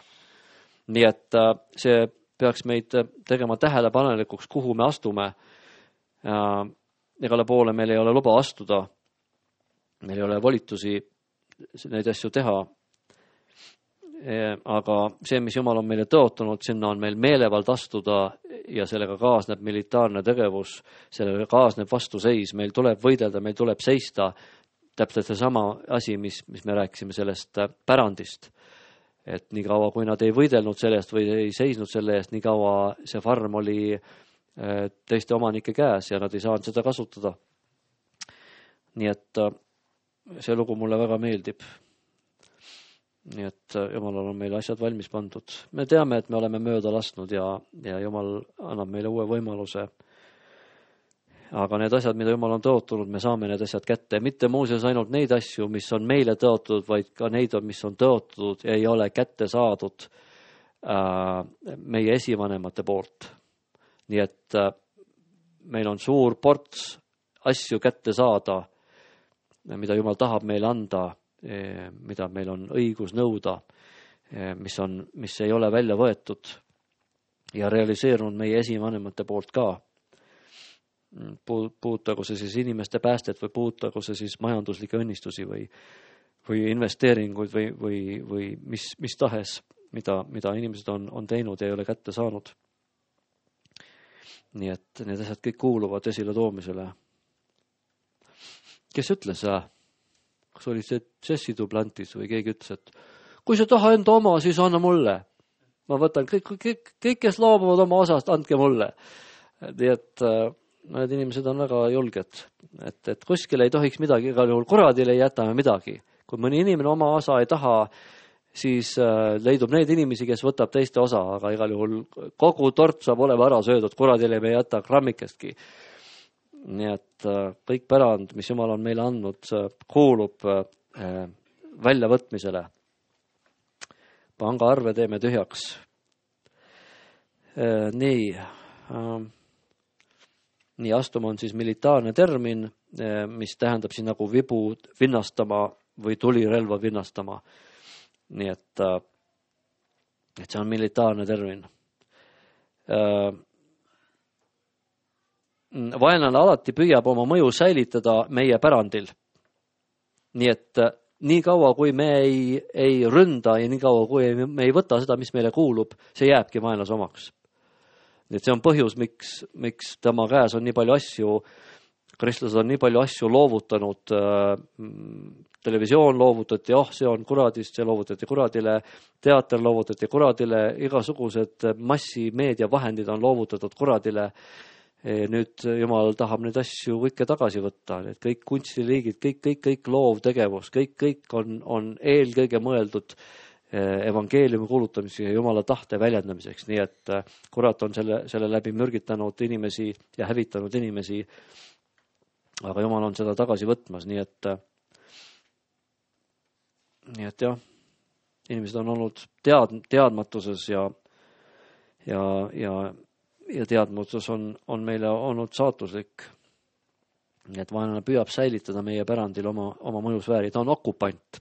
Nii et see peaks meid tegema tähelepanelikuks, kuhu me astume. Igale poole meil ei ole luba astuda, meil ei ole volitusi neid asju teha. Aga see, mis Jumal on meile tõotanud, sinna on meil meelevald astuda ja sellega kaasneb militaarne tegevus, sellega kaasneb vastuseis, meil tuleb võidelda, meil tuleb seista. Täpselt see sama asi, mis me rääkisime sellest pärandist. Et nii kaua, kui nad ei võidelnud sellest või ei seisnud selle eest, nii kaua see farm oli teiste omanike käes ja nad ei saanud seda kasutada. Nii et see lugu mulle väga meeldib. Nii et Jumalal on meile asjad valmis pandud. Me teame, et me oleme mööda lasknud ja Jumal annab meile uue võimaluse. Aga need asjad, mida Jumal on tõotunud, me saame need asjad kätte. Mitte muuseas ainult neid asju, mis on meile tõotunud, vaid ka neid, mis on tõotunud ja ei ole kätte saadud meie esivanemate poolt. Nii et meil on suur ports asju kätte saada, mida Jumal tahab meile anda, mida meil on õigus nõuda, mis ei ole välja võetud ja realiseerunud meie esivanemate poolt ka. Puudutagu see siis inimeste päästet või puudutagu see siis majanduslikke õnnistusi või investeeringuid või mis tahes, mida inimesed on teinud ja ei ole kätte saanud. Nii et need asjad kõik kuuluvad esile toomisele. Kes ütles kas oli see Jesse Duplantis või keegi ütles, et kui sa taha enda oma, siis anna mulle. Ma võtan kõik, kes loobuvad oma osast, andke mulle. Nii et need inimesed on väga julged, et kuskil ei tohiks midagi, igal juhul kuradile ei jätame midagi. Kui mõni inimene oma osa ei taha, siis leidub neid inimesi, kes võtab teiste osa, aga igal juhul kogu tort saab olema ära söödud, kuradile me ei jäta grammikestki. Nii et kõik pärand, mis Jumal on meile andnud, kuulub väljavõtmisele. Pangaarve teeme tühjaks. Nii astuma on siis militaarne termin, mis tähendab siin nagu vibu vinnastama või tulirelva vinnastama. nii et see on militaarne termin. Vaenlane alati püüab oma mõju säilitada meie pärandil. Nii et nii kaua, kui me ei ründa ja nii kaua, kui me ei võta seda, mis meile kuulub, see jääbki vaenlase omaks. Nii et see on põhjus, miks tema käes on nii palju asju, kristlased on nii palju asju loovutanud, televisioon loovutati, see on kuradist, see loovutati kuradile, teater loovutati kuradile, igasugused massimeedia vahendid on loovutatud kuradile. Nüüd Jumal tahab neid asju kõike tagasi võtta, need kõik kunstiliigid, kõik loovtegevus, kõik on eelkõige mõeldud evangeeliumi kuulutamiseks ja Jumala tahte väljendamiseks, nii et kurat on selle läbi mürgitanud inimesi ja hävitanud inimesi, aga Jumal on seda tagasi võtmas, nii et jah, inimesed on olnud teadmatuses ja teadmatus on meile olnud saatuslik. Nii et vaenlane püüab säilitada meie pärandil oma mõjusfääri. Ta on okupant.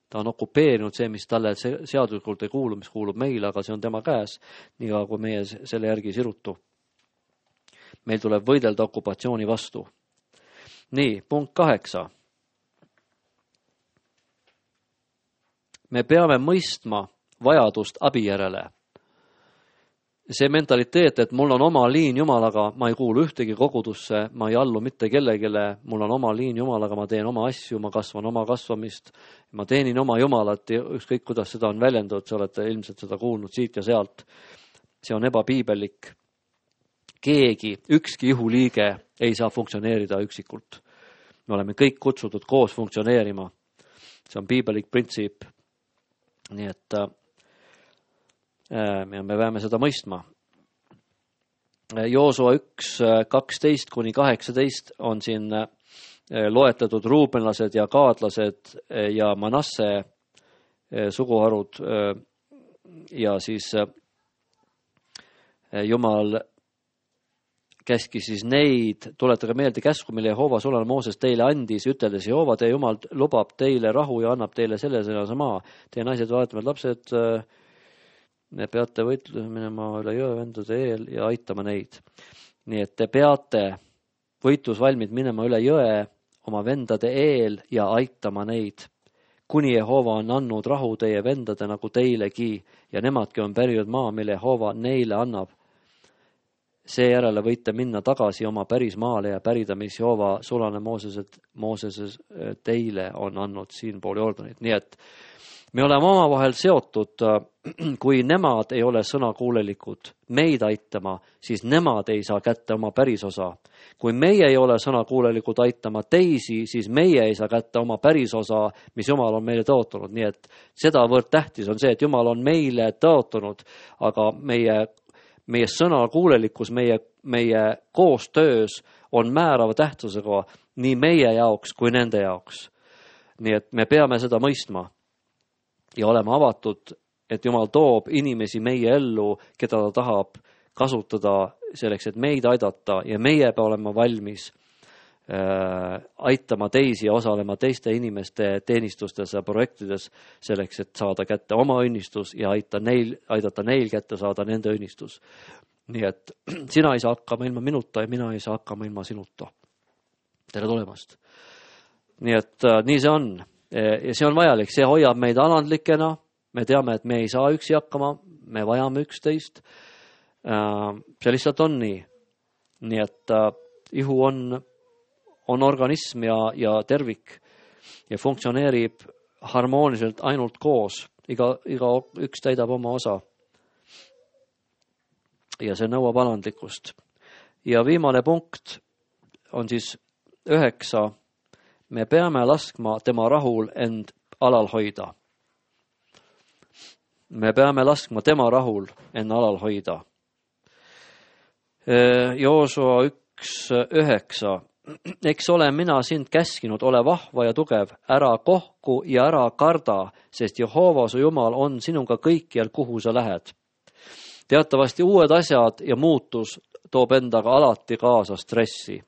Ta on okupeerinud see, mis talle seaduslikult ei kuulu, mis kuulub meile, aga see on tema käes, nii kui meie selle järgi sirutu. Meil tuleb võidelda okupatsiooni vastu. Nii, punkt 8. Me peame mõistma vajadust abi järele. See mentaliteet, et mul on oma liin Jumalaga, ma ei kuulu ühtegi kogudusse, ma ei allu mitte kellegile, mul on oma liin Jumalaga, ma teen oma asju, ma kasvan oma kasvamist, ma teenin oma Jumalat, ükskõik kuidas seda on väljendud, sa olete ilmselt seda kuulnud siit ja sealt. See on ebapiibellik. Ükski ihuliige ei saa funktsioneerida üksikult. Me oleme kõik kutsutud koos funktsioneerima. See on piibelik printsiip. Nii et me peame seda mõistma. Joosua 1:12-18 on siin loetletud ruubenlased ja gaadlased ja Manasse suguharud ja siis Jumal käskis siis neid, tuletage meelde käsku, mille Jehova sulane Mooses teile andis, üteldes Jehova, teie Jumal lubab teile rahu ja annab teile selle maa. Teie naised, vaatavad lapsed, me peate võitluse minema üle jõe vendade eel ja aitama neid. Nii et te peate võitlusvalmid minema üle jõe oma vendade eel ja aitama neid. Kuni Jehova on andnud rahu teie vendade nagu teilegi ja nemadki on pärinud maa, mille Jehova neile annab. Seejärele võite minna tagasi oma päris maale ja pärida, mis Jehova sulane Mooses teile on andnud siin pool Jordanit. Nii et me oleme omavahel seotud, kui nemad ei ole sõnakuulelikud meid aitama, siis nemad ei saa kätte oma pärisosa. Kui meie ei ole sõnakuulelikud aitama teisi, siis meie ei saa kätte oma pärisosa, mis Jumal on meile tõotanud. Nii et sedavõrd tähtis on see, et Jumal on meile tõotanud, aga meie sõnakuulelikkus, meie koostöös on määrava tähtsusega nii meie jaoks kui nende jaoks. Nii et me peame seda mõistma. Ja oleme avatud, et Jumal toob inimesi meie ellu, keda ta tahab kasutada selleks, et meid aidata ja meie peame olema valmis aitama teisi ja osalema teiste inimeste teenistustes ja projektides selleks, et saada kätte oma õnnistus ja aidata neil kätte saada nende õnnistus. Nii et sina ei saa hakkama ilma minuta ja mina ei saa hakkama ilma sinuta. Tere tulemast. Nii et nii see on. Ja see on vajalik, see hoiab meid alandlikena, me teame, et me ei saa üksi hakkama, me vajame üksteist. See lihtsalt on nii. Nii et ihu on organism ja tervik ja funktsioneerib harmooniliselt ainult koos. Iga üks täidab oma osa. Ja see nõuab alandlikkust. Ja viimane punkt on siis 9. Me peame laskma tema rahul end alal hoida. Me peame laskma tema rahul end alal hoida. Joosua 1:9. Eks ole mina sind käskinud, ole vahva ja tugev, ära kohku ja ära karda, sest Jehova su Jumal on sinuga kõikjal, kuhu sa lähed. Teatavasti uued asjad ja muutus toob endaga alati kaasa stressi,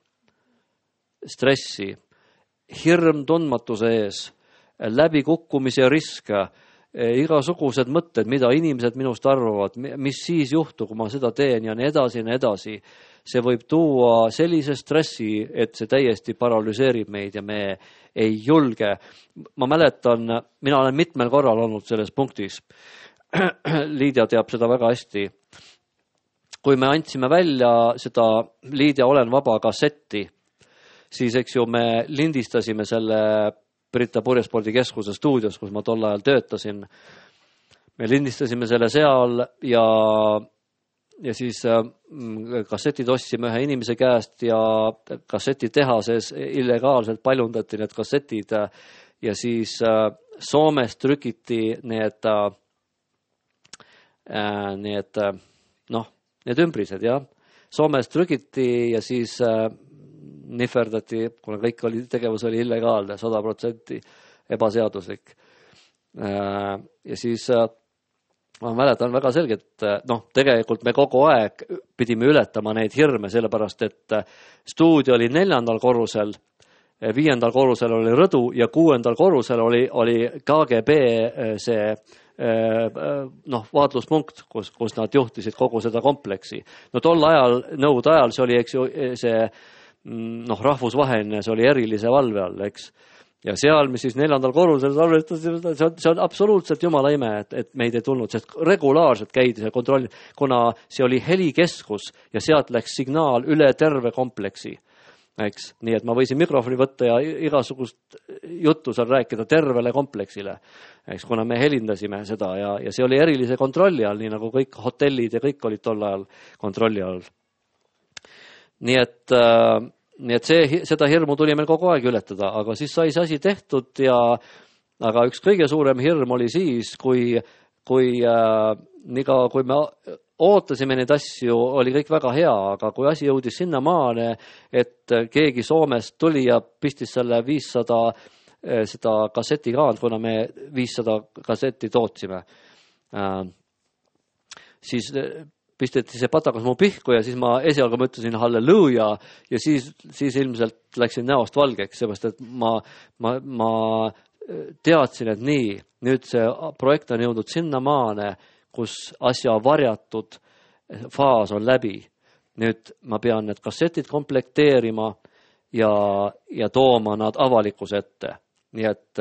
hirm tundmatuse ees, läbikukkumise risk igasugused mõtted, mida inimesed minust arvavad, mis siis juhtub, kui ma seda teen ja nii edasi. See võib tuua sellise stressi, et see täiesti paralüseerib meid ja me ei julge. Ma mäletan, mina olen mitmel korral olnud selles punktis. Liidia teab seda väga hästi. Kui me andsime välja seda Liidia Olen vaba kassetti, siis eks ju me lindistasime selle Brita Purjespordikeskuse stuudios, kus ma tol ajal töötasin. Me lindistasime selle seal ja siis kassetid ostsime ühe inimese käest ja kassetitehases illegaalselt paljundati need kassetid ja siis Soomes trükiti need ümbrised, jah. Soomes trükiti ja siis nihverdati, kuna kõik tegevus oli illegaalne, 100% ebaseaduslik. Ja siis ma mäletan väga selgelt, tegelikult me kogu aeg pidime ületama neid hirme, sellepärast et stuudio oli 4. korrusel, 5. korrusel oli rõdu ja 6. korrusel oli KGB see vaatluspunkt, kus nad juhtisid kogu seda kompleksi. Tol ajal, nõukogude ajal see oli, eks ju, see rahvusvaheline, see oli erilise valve all, eks. Ja seal, mis siis 4. korrusel salvestasime, see on absoluutselt jumala ime, et meid ei tulnud, sest regulaarselt käidi see kontroll, kuna see oli helikeskus ja sealt läks signaal üle terve kompleksi. Eks? Nii et ma võisin mikrofoni võtta ja igasugust juttu seal rääkida tervele kompleksile, eks, kuna me helindasime seda ja see oli erilise kontrolli all, nii nagu kõik hotellid ja kõik olid tol ajal kontrolli all. Nii et seda hirmu tuli meil kogu aeg ületada, aga siis sai see asi tehtud aga üks kõige suurem hirm oli siis, kui me ootasime neid asju, oli kõik väga hea, aga kui asi jõudis sinna maale, et keegi Soomest tuli ja pistis selle 500 seda kassetikaant, kuna me 500 kassetti tootsime, siis pisteti see patakas mu pihku ja siis ma esialgu mõtlesin halleluuja ja siis ilmselt läksin näost valgeks, seepärast et ma teadsin, et nüüd see projekt on jõudnud sinna maane, kus asja varjatud faas on läbi. Nüüd ma pean need kassetid komplekteerima ja tooma nad avalikkuse ette. Nii et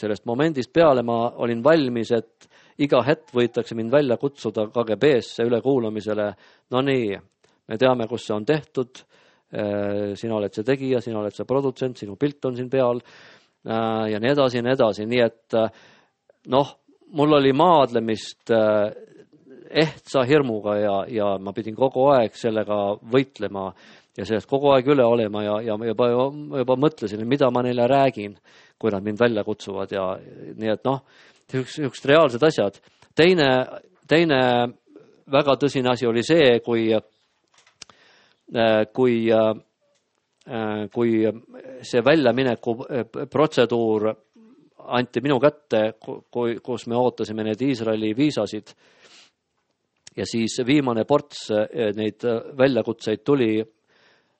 sellest momendist peale ma olin valmis, et iga hetk võitakse mind välja kutsuda KGB-sse ülekuulamisele. Me teame, kus see on tehtud, sina oled see tegija, sina oled see produtsent, sinu pilt on siin peal ja nii edasi. Nii et mul oli maadlemist ehtsa hirmuga ja ma pidin kogu aeg sellega võitlema ja sellest kogu aeg üle olema ja juba mõtlesin, mida ma neile räägin, kui nad mind välja kutsuvad ja nii et üks reaalsed asjad. Teine väga tõsine asi oli see, kui see väljamineku protseduur anti minu kätte, kus me ootasime need Iisraeli viisasid ja siis viimane ports neid väljakutseid tuli,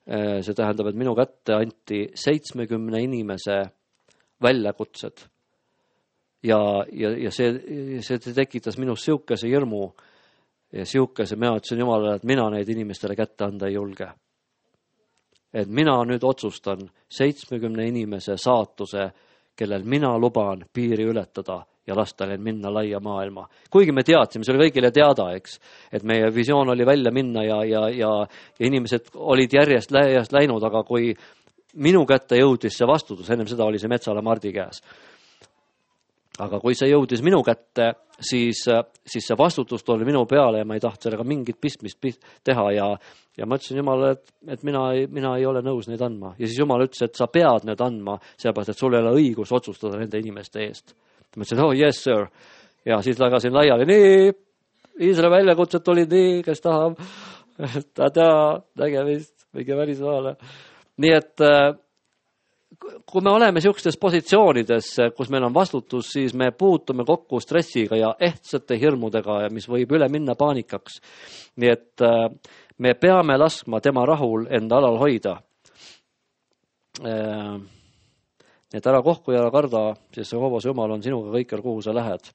see tähendab, et minu kätte anti 70 inimese väljakutsed ja see tekitas minus siukese hirmu ja siukese, mina ütlesin Jumalale, et mina neid inimestele kätte anda ei julge. Et mina nüüd otsustan 70 inimese saatuse, kellel mina luban piiri ületada ja lasta neil minna laia maailma. Kuigi me teadsime, see oli kõigile teada, eks, et meie visioon oli välja minna ja inimesed olid järjest läinud, aga kui minu kätte jõudis see vastutus, ennem seda oli see Metsala Mardi käes. Aga kui see jõudis minu kätte, siis see vastutus tuli minu peale ja ma ei tahtnud sellega mingit pistmist teha ja ma ütlesin Jumalale, et mina ei ole nõus neid andma. Ja siis Jumal ütles, et sa pead need andma, sellepärast, et sul ei ole õigus otsustada nende inimeste eest. Ma ütlesin, yes sir. Ja siis lagasin laiali, Iisraeli väljakutsed tulid, kes tahab, nägemist, mingi välismaale. Nii et kui me oleme siukstes positsioonides, kus meil on vastutus, siis me puutume kokku stressiga ja ehtsate hirmudega, mis võib üle minna paanikaks. Nii et me peame laskma tema rahul enda alal hoida. Nii et ära kohku ja ära karda, sest see Hoovase Jumal on sinuga kõikjal, kuhu sa lähed.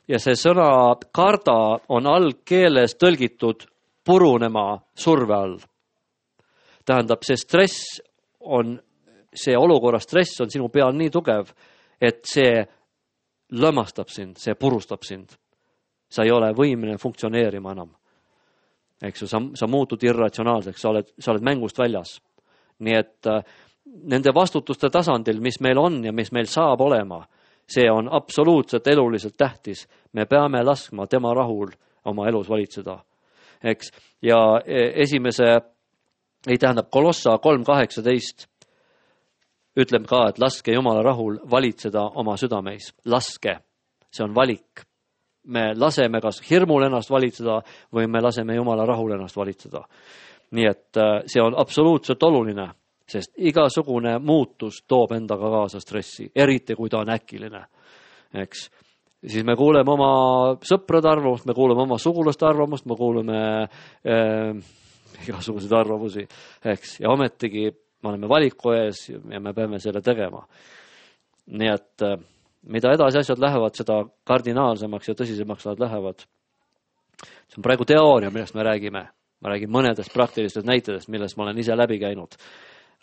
ja see sõna karda on algkeeles tõlgitud purunema surve all. Tähendab, see stress on, see olukorra stress on sinu peal nii tugev, et see lõmastab sind, see purustab sind. Sa ei ole võimeline funktsioneerima enam. Eks ju, sa muutud irratsionaalseks, sa oled mängust väljas. Nii et nende vastutuste tasandil, mis meil on ja mis meil saab olema, see on absoluutselt eluliselt tähtis. Me peame laskma tema rahul oma elus valitseda. Eks? Ja esimese, ei tähendab Kolossa 3.18 ütleb ka, et laske Jumala rahul valitseda oma südameis. Laske. See on valik. Me laseme kas hirmul ennast valitseda või me laseme Jumala rahul ennast valitseda. Nii et see on absoluutselt oluline, sest igasugune muutus toob endaga kaasa stressi, eriti kui ta on äkiline. Eks? Siis me kuuleme oma sõprade arvamust, me kuuleme oma sugulaste arvamust, me kuuleme igasuguseid arvamusi. Eks? Ja ometigi me oleme valiku ees ja me peame selle tegema. Nii et mida edasi asjad lähevad, seda kardinaalsemaks ja tõsisemaks nad lähevad. See on praegu teooria, millest me räägime. Ma räägin mõnedest praktilistest näitedest, millest ma olen ise läbi käinud.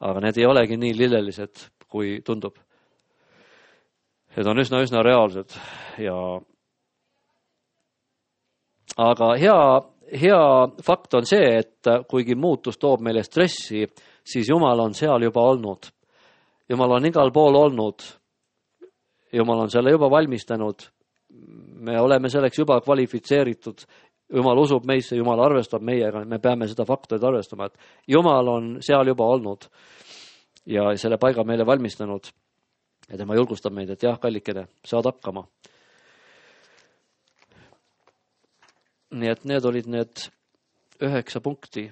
Aga need ei olegi nii lillelised, kui tundub. Need on üsna reaalsed. Aga hea fakt on see, et kuigi muutus toob meile stressi, siis Jumal on seal juba olnud. Jumal on igal pool olnud. Jumal on selle juba valmistanud. Me oleme selleks juba kvalifitseeritud. Jumal usub meisse, Jumal arvestab meiega. Me peame seda faktoid arvestama, et Jumal on seal juba olnud ja selle paiga meile valmistanud. Ja tema julgustab meid, et jah, kallikene, saad hakkama. Nii et need olid need 9 punkti,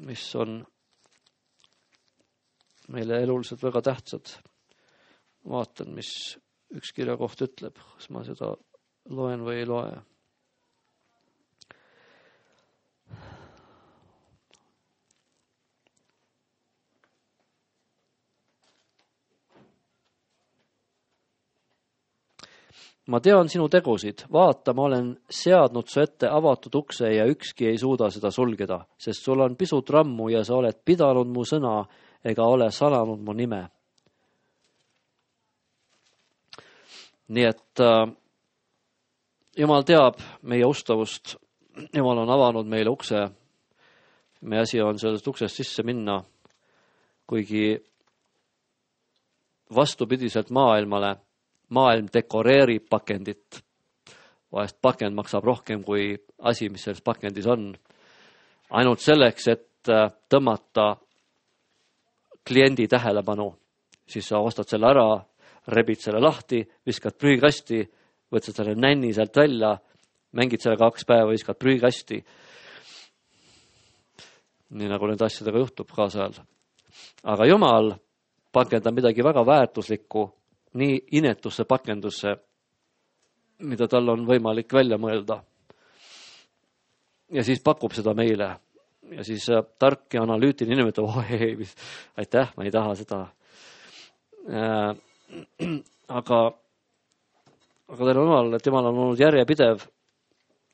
mis on meile eluliselt väga tähtsad. Vaatan, mis üks kirja koht ütleb, kas ma seda loen või ei loe. Ma tean sinu tegusid, vaata, ma olen seadnud su ette avatud ukse ja ükski ei suuda seda sulgeda, sest sul on pisut rammu ja sa oled pidanud mu sõna ega ole salanud mu nime. Nii et Jumal teab meie ustavust, Jumal on avanud meile ukse, meie asi on sellest uksest sisse minna, kuigi vastupidiselt maailm dekoreerib pakendit. Vahest pakend maksab rohkem kui asi, mis selles pakendis on. Ainult selleks, et tõmmata kliendi tähelepanu. Siis sa ostad selle ära, rebid selle lahti, viskad prügikasti, võtad selle nänni sealt välja, mängid selle 2 päeva, viskad prügikasti. Nii nagu nende asjadega juhtub kaasajal. Aga Jumal pakendab midagi väga väärtuslikku nii inetusse pakendusse, mida tal on võimalik välja mõelda. Ja siis pakub seda meile. Ja siis tark ja analüütiline inimene ütleb, aitäh, ma ei taha seda. Aga teil on Jumal, et Jumal on olnud järjepidev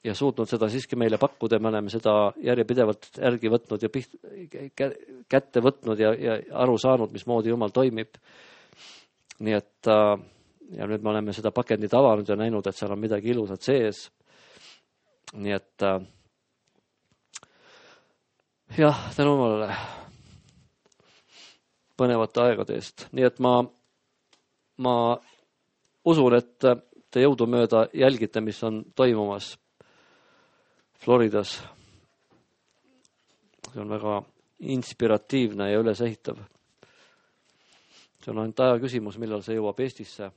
ja suutnud seda siiski meile pakkuda. Me oleme seda järjepidevalt järgi võtnud ja kätte võtnud ja aru saanud, mismoodi Jumal toimib. Nii et ja nüüd me oleme seda pakendit avanud ja näinud, et seal on midagi ilusat sees. Nii et jah, tänu Jumalale põnevate aegade eest. Nii et ma usun, et te jõudumööda jälgite, mis on toimumas Floridas. See on väga inspiratiivne ja ülesehitav. See on ainult aja küsimus, millal see jõuab Eestisse.